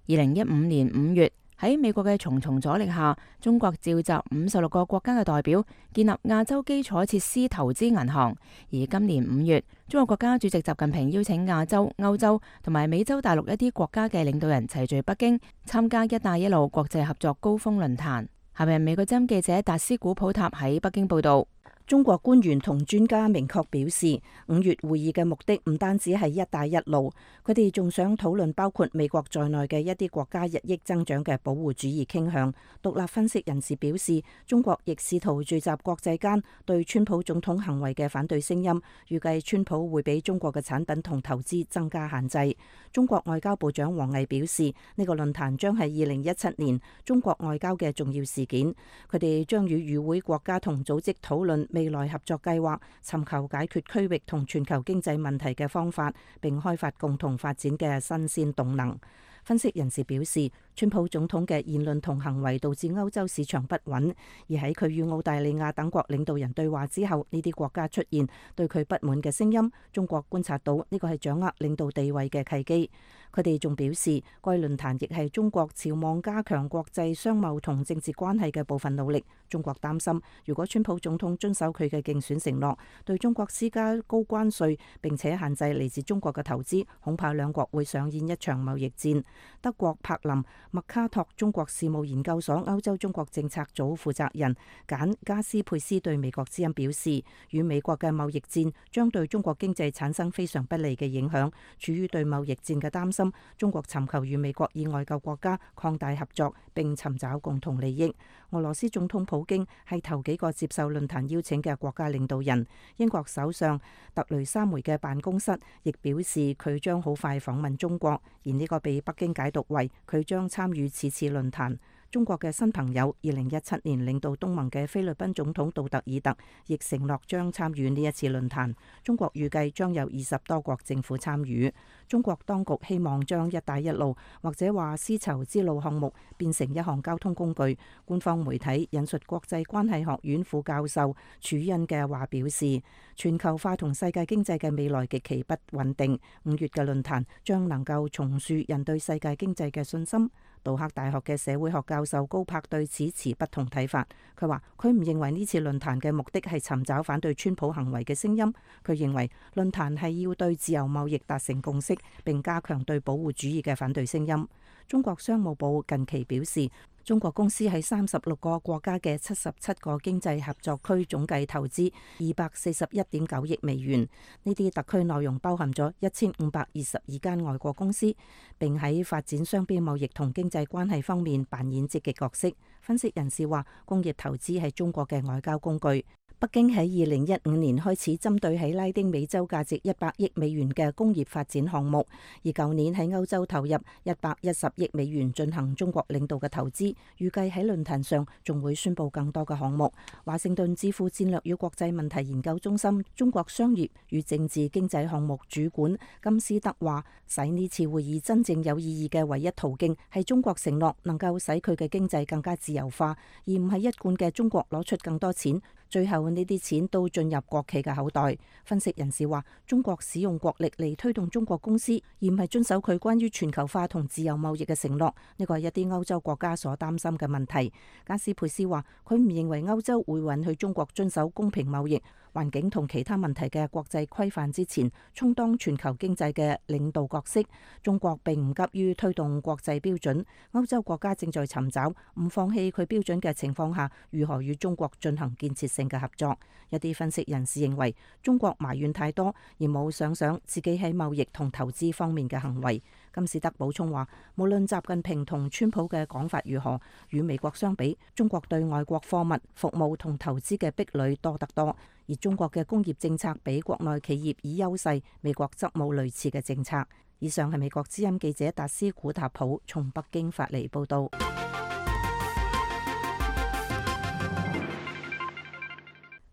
2015年5月，喺美國嘅重重阻力下，中國召集56個國家嘅代表建立亞洲基礎設施投資銀行。而今年5月，中國國家主席習近平邀請亞洲、歐洲同埋美洲大陸一啲國家嘅領導人齊聚北京，參加一帶一路國際合作高峰論壇。下面美國之音記者達斯古普塔喺北京報道。中國官員同專家明確表示，5月會議嘅目的唔單止係一帶一路，佢哋仲想討論包括美國在內嘅一啲國家日益增長嘅保護主義傾向。獨立分析人士表示，中國亦試圖聚集國際間對川普總統行為嘅反對聲音，預計川普會俾中國嘅產品同投資增加限制。中國外交部長王毅表示，呢個論壇將係2017年中國外交嘅重要事件，佢哋將與與會國家同組織討論未來合作計劃，尋求解決區域同全球經濟問題嘅方法，並開發共同發展嘅新鮮動能。分析人士表示，川普總統嘅言論同行為導致歐洲市場不穩，而喺佢與澳大利亞等國領導人對話之後，呢啲國家出現對佢不滿嘅聲音。中國觀察到呢個係掌握領導地位嘅契機。佢哋仲表示，該論壇亦係中國朝望加強國際商貿同政治關係嘅部分努力。中國擔心，如果川普總統遵守佢嘅競選承諾，對中國施加高關稅並且限制嚟自中國嘅投資，恐怕兩國會上演一場貿易戰。德國柏林麥卡托中國事務研究所歐洲中國政策組負責人簡加斯佩斯對美國之音表示，與美國嘅貿易戰將對中國經濟產生非常不利嘅影響。處於對貿易戰嘅擔心，中國尋求與美國以外嘅國家擴大合作並尋找共同利益。俄羅斯總統普京係頭幾個接受論壇邀請嘅國家領導人。英國首相特雷莎梅嘅辦公室亦表示佢將好快訪問中國，而呢個被北京解讀為佢將參與此次論壇。中國嘅新朋友2017年領導東盟嘅菲律賓總統杜特爾特亦承諾將參與呢一次論壇。中國預計將有20多國政府參與。中國當局希望將一帶一路或者話絲綢之路項目變成一項交通工具。官方媒體引述國際關係學院副教授楚恩嘅話表示，全球化同世界經濟嘅未來極其不穩定。5月嘅論壇將能夠重塑人對世界經濟嘅信心。杜克大學嘅社會學教授高柏對此持不同睇法。佢話佢唔認為呢次論壇嘅目的係尋找反對川普行為嘅聲音。佢認為論壇係要對自由貿易達成共識，並加強對保護主義嘅反對聲音。中國商務部近期表示，中國公司喺36個國家嘅77個經濟合作區總計投資241.9億美元。呢啲特區內容包含咗1522間外國公司，並喺發展雙邊貿易同經濟關係方面扮演積極角色。分析人士話，工業投資係中國嘅外交工具。北京喺2015年開始針對喺拉丁美洲價值100億美元嘅工業發展項目，而舊年喺歐洲投入110億美元進行中國領導嘅投資，預計喺論壇上仲會宣布更多嘅項目。華盛頓智庫戰略與國際問題研究中心中國商業與政治經濟項目主管金斯德話，使呢次會議真正有意義嘅唯一途徑係中國承諾能夠使佢嘅經濟更加自由化，而唔係一貫嘅中國攞出更多錢，最後呢啲錢都進入國企嘅口袋。分析人士話，中國使用國力嚟推動中國公司，而唔係遵守佢關於全球化同自由貿易嘅承諾，呢個係一啲歐洲國家所擔心嘅問題。加斯佩斯話，佢唔認為歐洲會允許中國遵守公平貿易、環境同其他問題嘅國際規範之前充當全球經濟嘅領導角色。中國並唔急於推動國際標準，歐洲國家正在尋找唔放棄佢標準嘅情況下，如何與中國進行建設性嘅合作。一啲分析人士認為，中國埋怨太多，而冇想自己喺貿易同投資方面嘅行為。金士德補充話，無論習近平同川普嘅講法如何，與美國相比，中國對外國貨物、服務同投資嘅壁壘多得多，而中國嘅工業政策比國內企業以優勢，美國則冇類似嘅政策。以上係美國之音記者達斯古塔普從北京發嚟報道。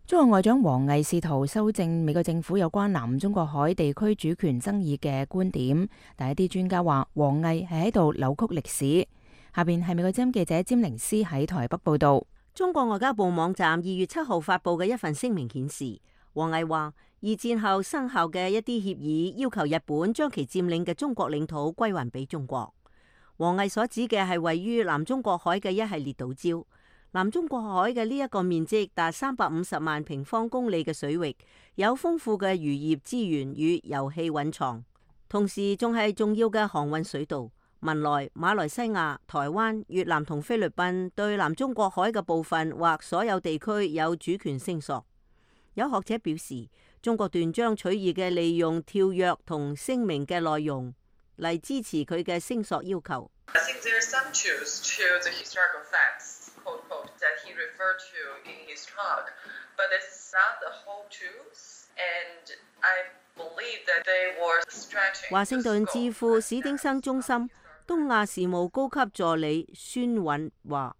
中國外長王毅試圖修正美國政府有關南中國海地區主權爭議嘅觀點，但一啲專家話王毅係喺度扭曲歷史。下邊係美國之音記者詹寧斯喺台北報道。中國外交部網站2月7號發布嘅一份聲明顯示，王毅話二戰後生效嘅一啲協議要求日本將其佔領嘅中國領土歸還俾中國。王毅所指嘅係位於南中國海嘅一系列島礁。南中國海嘅呢一個面積達350萬平方公里嘅水域，有豐富嘅漁業資源與油氣蘊藏，同時仲係重要嘅航運水道。文萊、馬來西亞、台灣、越南同菲律賓對南中國海嘅部分或所有地區有主權聲索。有學者表示，中國斷章取義嘅利用跳躍同聲明嘅內容嚟支持佢嘅聲索要求。That he referred to in his talk, but it's not the whole truth, and I believe that they were stretching. 華盛頓智庫史丁生中心東亞事務高級助理孫韻話，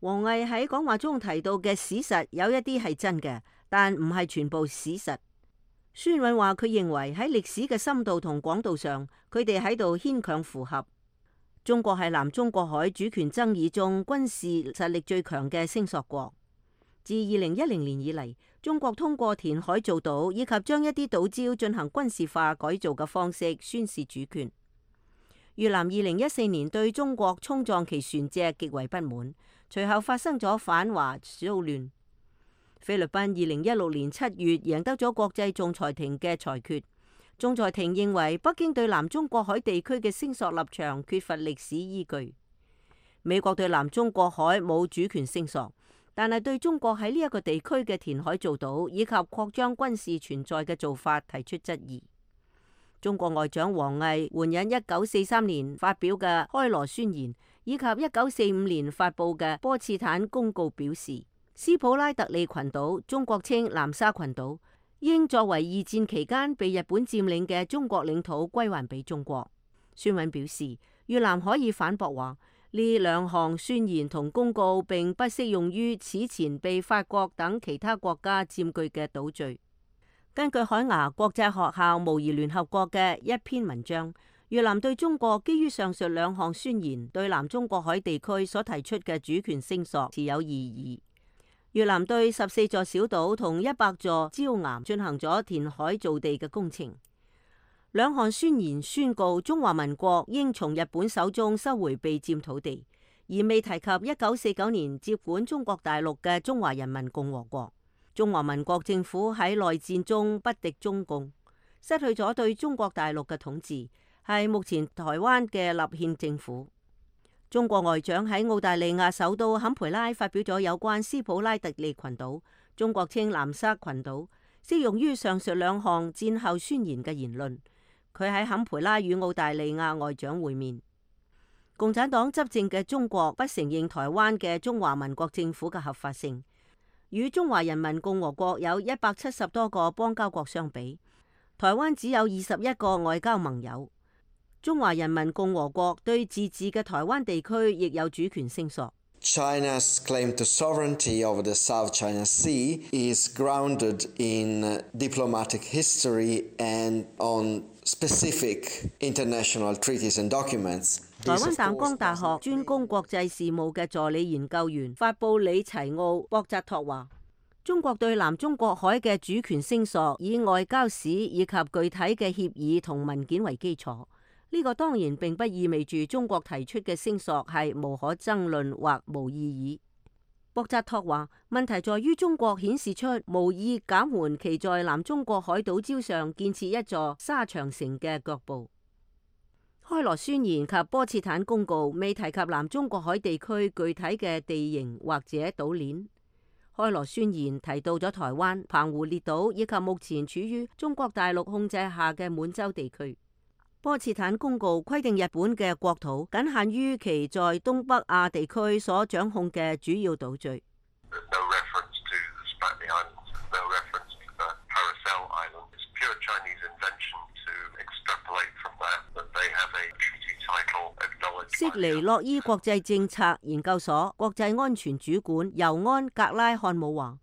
王毅喺講話中提到嘅史實有一啲係真嘅，但唔係全部史實。孫韻話佢認為喺歷史嘅深度同廣度上，佢哋喺度牽強附合。中國係南中國海主權爭議中軍事實力最強嘅聲索國。自2010年以嚟，中國通過填海造島以及將一啲島礁進行軍事化改造嘅方式宣示主權。越南2014年對中國衝撞其船隻極為不滿，隨後發生咗反華騷亂。菲律賓2016年7月贏得咗國際仲裁庭嘅裁決。仲裁庭認為北京對南中國海地區嘅聲索立場缺乏歷史依據。美國對南中國海冇主權聲索，但係對中國喺呢一個地區嘅填海造島以及擴張軍事存在嘅做法提出質疑。中國外長王毅援引1943年發表嘅開羅宣言以及1945年發布嘅波茨坦公告表示，斯普拉特利群島，中國稱南沙群島，應作為二戰期間被日本佔領嘅中國領土歸還俾中國。孫韻表示，越南可以反駁話，呢兩項宣言同公告並不適用於此前被法國等其他國家佔據嘅島嶼。根據海牙國際學校模擬聯合國嘅一篇文章，越南對中國基於上述兩項宣言對南中國海地區所提出嘅主權聲索持有異議。越南對14座小島同100座礁岩進行咗填海造地嘅工程。兩項宣言宣告中華民國應從日本手中收回被佔土地，而未提及1949年接管中國大陸嘅中華人民共和國。中華民國政府喺內戰中不敵中共，失去咗對中國大陸嘅統治，係目前台灣嘅立憲政府。中國外長喺澳大利亞首都坎培拉發表咗有關斯普拉特利群島，中國稱南沙群島，適用於上述兩項戰後宣言嘅言論。佢喺坎培拉與澳大利亞外長會面。共產黨執政嘅中國不承認台灣嘅中華民國政府嘅合法性。與中華人民共和國有170多個邦交國相比，台灣只有21個外交盟友。中華人民共和國對自治嘅台灣地區亦有主權聲索。China's claim to sovereignty over the South China Sea is grounded in diplomatic history and on specific international treaties and documents. 台灣淡江大學專攻國際事務嘅助理研究員法布里齊奧博扎托話，中國對南中國海嘅主權聲索以外交史以及具體嘅協議同文件為基礎。呢個當然並不意味住中國提出嘅聲索係無可爭論或無意義。博扎托話，問題在於中國顯示出無意減緩其在南中國海島礁上建設一座沙場城嘅腳步。開羅宣言及波茨坦公告未提及南中國海地區具體嘅地形或者島鏈。開羅宣言提到咗台灣、澎湖列島以及目前處於中國大陸控制下嘅滿洲地區。波茨坦公告規定日本嘅國土僅限於其在東北亞地區所掌控嘅主要島嶼。悉尼洛伊國際政策研究所國際安全主管尤安格拉漢姆話，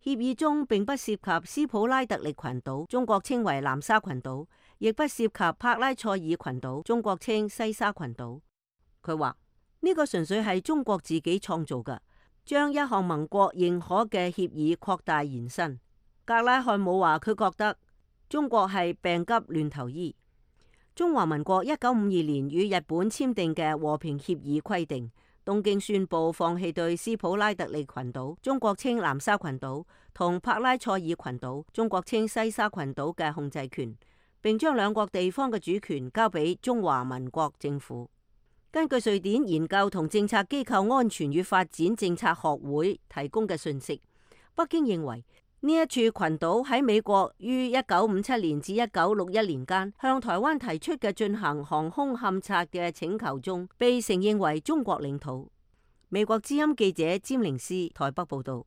協議中並不涉及斯普拉特利群島，中國稱為南沙群島，亦不涉及帕拉塞爾群島，中國稱西沙群島。佢話呢個純粹係中國自己創造嘅，將一項盟國認可嘅協議擴大延伸。格拉漢姆話佢覺得中國係病急亂投醫。中華民國1952年與日本簽訂嘅和平協議規定，東京宣布放棄對斯普拉特利群島，中國稱南沙群島，同帕拉塞爾群島，中國稱西沙群島嘅控制權，並將兩國地方嘅主權交俾中華民國政府。根據瑞典研究同政策機構安全與發展政策學會提供嘅信息，北京認為呢一處群島喺美國於1957年至1961年間向台灣提出嘅進行航空勘察嘅請求中，被承認為中國領土。美國之音記者詹寧斯台北報道。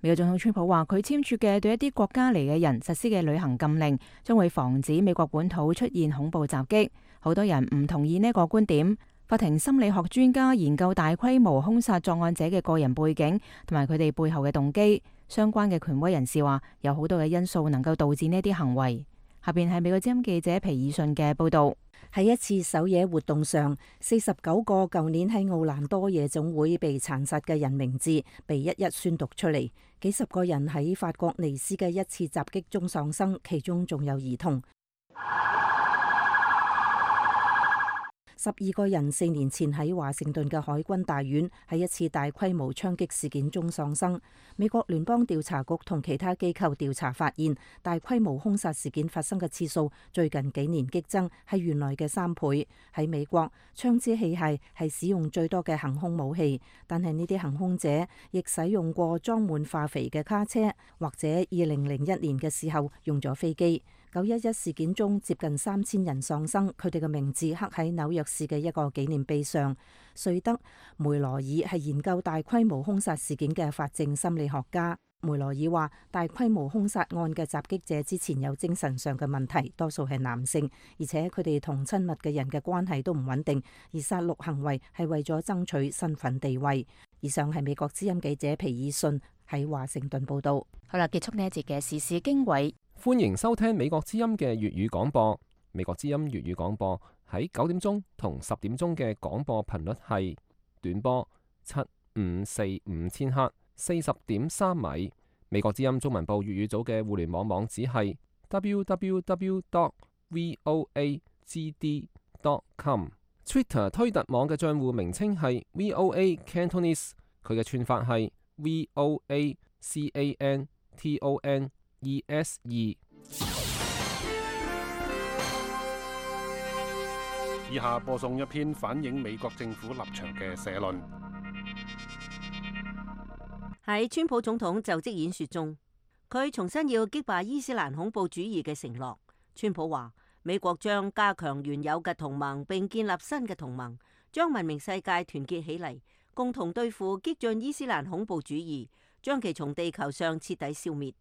美國總統川普話，佢簽署嘅對一啲國家嚟嘅人實施嘅旅行禁令，將會防止美國本土出現恐怖襲擊。好多人唔同意呢個觀點。法庭心理學專家研究大規模兇殺作案者嘅個人背景同埋佢哋背後嘅動機。相關嘅權威人士話，有好多嘅因素能夠導致呢啲行為。下邊係美國之音記者皮爾遜嘅報道。喺一次狩野活動上，49個舊年喺奧蘭多夜總會被殘殺嘅人名字被一一宣讀出嚟。幾十個人喺法國尼斯嘅一次襲擊中喪生，其中仲有兒童。12個人4年前喺華盛頓嘅海軍大院喺一次大規模槍擊事件中喪生。美國聯邦調查局同其他機構調查發現，大規模兇殺事件發生嘅次數最近幾年激增，係原來嘅3倍。喺美國，槍支器械係使用最多嘅行兇武器，但係呢啲行兇者亦使用過裝滿化肥嘅卡車，或者2001年嘅時候用咗飛機。911事件中接近3000人喪生，佢哋嘅名字刻喺紐約市嘅一個紀念碑上。瑞德梅羅爾係研究大規模兇殺事件嘅法證心理學家。梅羅爾話，大規模兇殺案嘅襲擊者之前有精神上嘅問題，多數係男性，而且佢哋同親密嘅人嘅關係都唔穩定，而殺戮行為係為咗爭取身份地位。以上係美國之音記者皮爾遜喺華盛頓報道。好啦，結束呢一節嘅時事經緯。歡迎收聽美國之音嘅粵語廣播。美國之音粵語廣播喺9點鐘同10點鐘嘅廣播頻率係短波7545千赫40.3米。美國之音中文部粵語組嘅互聯網網址係 www.voagd.com。Twitter 推特網嘅賬戶名稱係 VOA Cantonese， 佢嘅串法係 VOACANTONESE。以下播送一篇反映美國政府立場嘅社論。喺川普總統就職演說中，佢重新要擊敗伊斯蘭恐怖主義嘅承諾。川普話，美國將加強原有嘅同盟，並建立新嘅同盟，將文明世界團結起嚟，共同對付激進伊斯蘭恐怖主義，將其從地球上徹底消滅。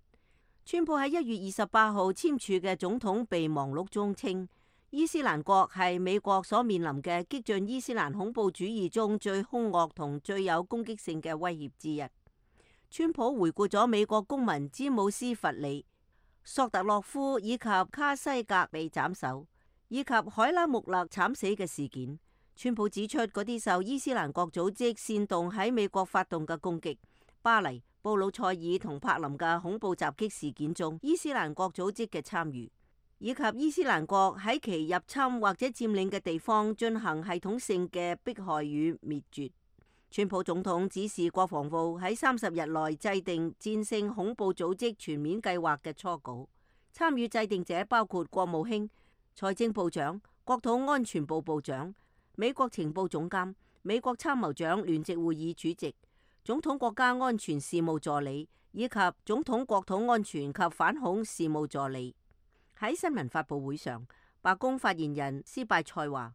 川普喺1月28號簽署嘅總統備忘錄中稱，伊斯蘭國係美國所面臨嘅激進伊斯蘭恐怖主義中最兇惡同最有攻擊性嘅威脅之一。川普回顧咗美國公民詹姆斯·弗里、索特洛夫以及卡西格被斬首，以及海拉穆勒慘死嘅事件。川普指出，嗰啲受伊斯蘭國組織煽動喺美國發動嘅攻擊，巴黎、布魯塞爾同柏林嘅恐怖襲擊事件中，伊斯蘭國組織嘅參與，以及伊斯蘭國喺其入侵或者佔領嘅地方進行系統性嘅迫害與滅絕。川普總統指示國防部喺30日內制定戰勝恐怖組織全面計劃嘅初稿，參與制定者包括國務卿、財政部長、國土安全部部長、美國情報總監、美國參謀長聯席會議主席、總統國家安全事務助理以及總統國土安全及反恐事務助理。喺新聞發佈會上，白宮發言人斯拜塞話：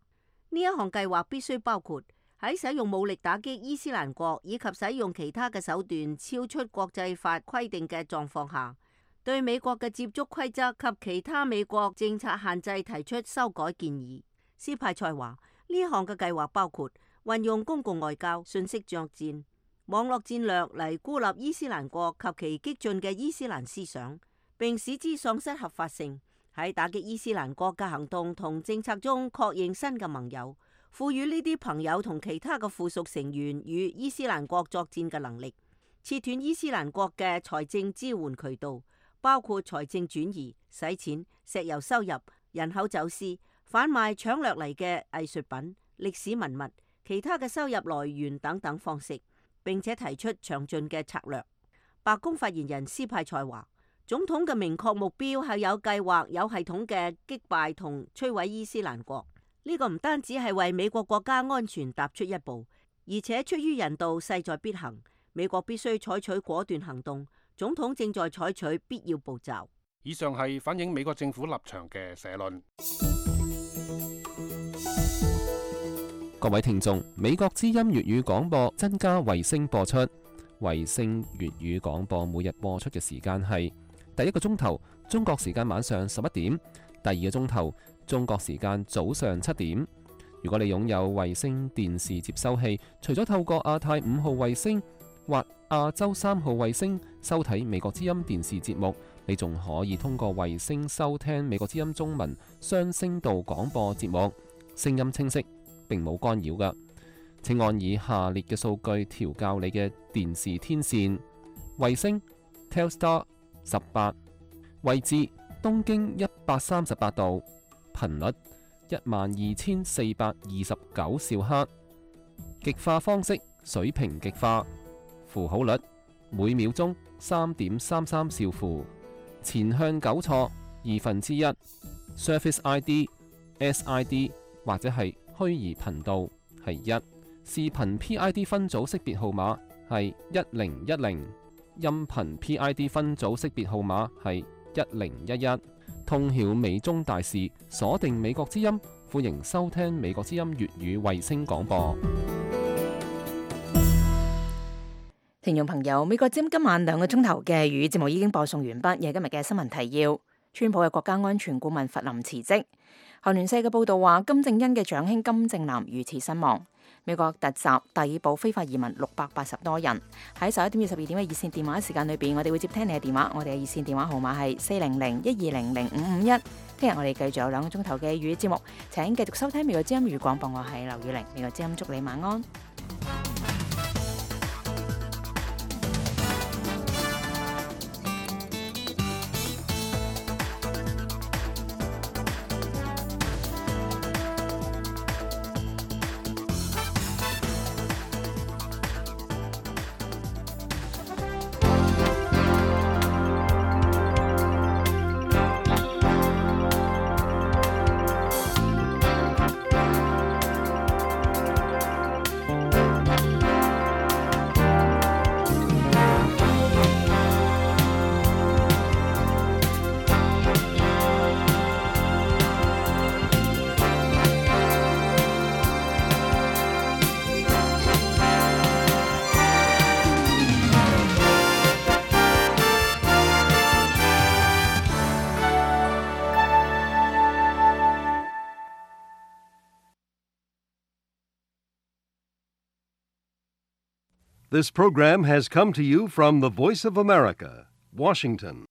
呢一項計劃必須包括喺使用武力打擊伊斯蘭國以及使用其他嘅手段超出國際法規定嘅狀況下，對美國嘅接觸規則及其他美國政策限制提出修改建議。斯派塞話：呢一項嘅計劃包括運用公共外交、信息作戰、網絡戰略嚟孤立伊斯蘭國及其激進嘅伊斯蘭思想，並使之喪失合法性。喺打擊伊斯蘭國嘅行動同政策中確認新嘅盟友，賦予呢啲朋友同其他嘅附屬成員與伊斯蘭國作戰嘅能力，切斷伊斯蘭國嘅財政支援渠道，包括財政轉移、洗錢、石油收入、人口走私、販賣搶掠嚟嘅藝術品、歷史文物、其他嘅收入來源等等方式，並且提出詳盡嘅策略。白宮發言人斯派塞話：總統嘅明確目標係有計劃、有系統嘅擊敗同摧毀伊斯蘭國。呢個唔單止係為美國國家安全踏出一步，而且出於人道勢在必行，美國必須採取果斷行動。總統正在採取必要步驟。以上係反映美國政府立場嘅社論。各位聽眾，美國之音粵語廣播增加衛星播出，衛星粵語廣播每日播出嘅時間係第一個鐘頭中國時間晚上11點，第二個鐘頭中國時間早上7點。如果你擁有衛星電視接收器，除咗透過亞太5號衛星或亞洲3號衛星收睇美國之音電視節目，你仲可以通過衛星收聽美國之音中文雙聲道廣播節目，聲音清晰，並冇干擾㗎。請按以下列嘅數據調校你嘅電視天線：衛星 Telstar 18，位置東經138度，頻率12429兆赫，極化方式水平極化，符號率每秒鐘3.33兆符，前向糾錯1/2， Surface ID SID 或者係虛擬頻道係1，視頻 PID 分組識別號碼係1010，音頻 PID 分組識別號碼係1011。通曉美中大事，鎖定美國之音，歡迎收聽美國之音粵語衛星廣播。聽眾朋友，美國之音今晚2個鐘頭嘅粵語節目已經播送完畢，而今日嘅新聞提要：川普嘅國家安全顧問弗林辭職。韓聯社嘅報道話，金正恩嘅長兄金正男遇刺身亡。美國突襲逮捕非法移民680多人。喺11點至12點嘅熱線電話時間裏邊，我哋會接聽你嘅電話。我哋嘅熱線電話號碼係400-1200-551。聽日我哋繼續有2個鐘頭嘅粵語節目，請繼續收聽美國之音粵語廣播。我係劉宇玲，美國之音祝你晚安。This program has come to you from the Voice of America, Washington.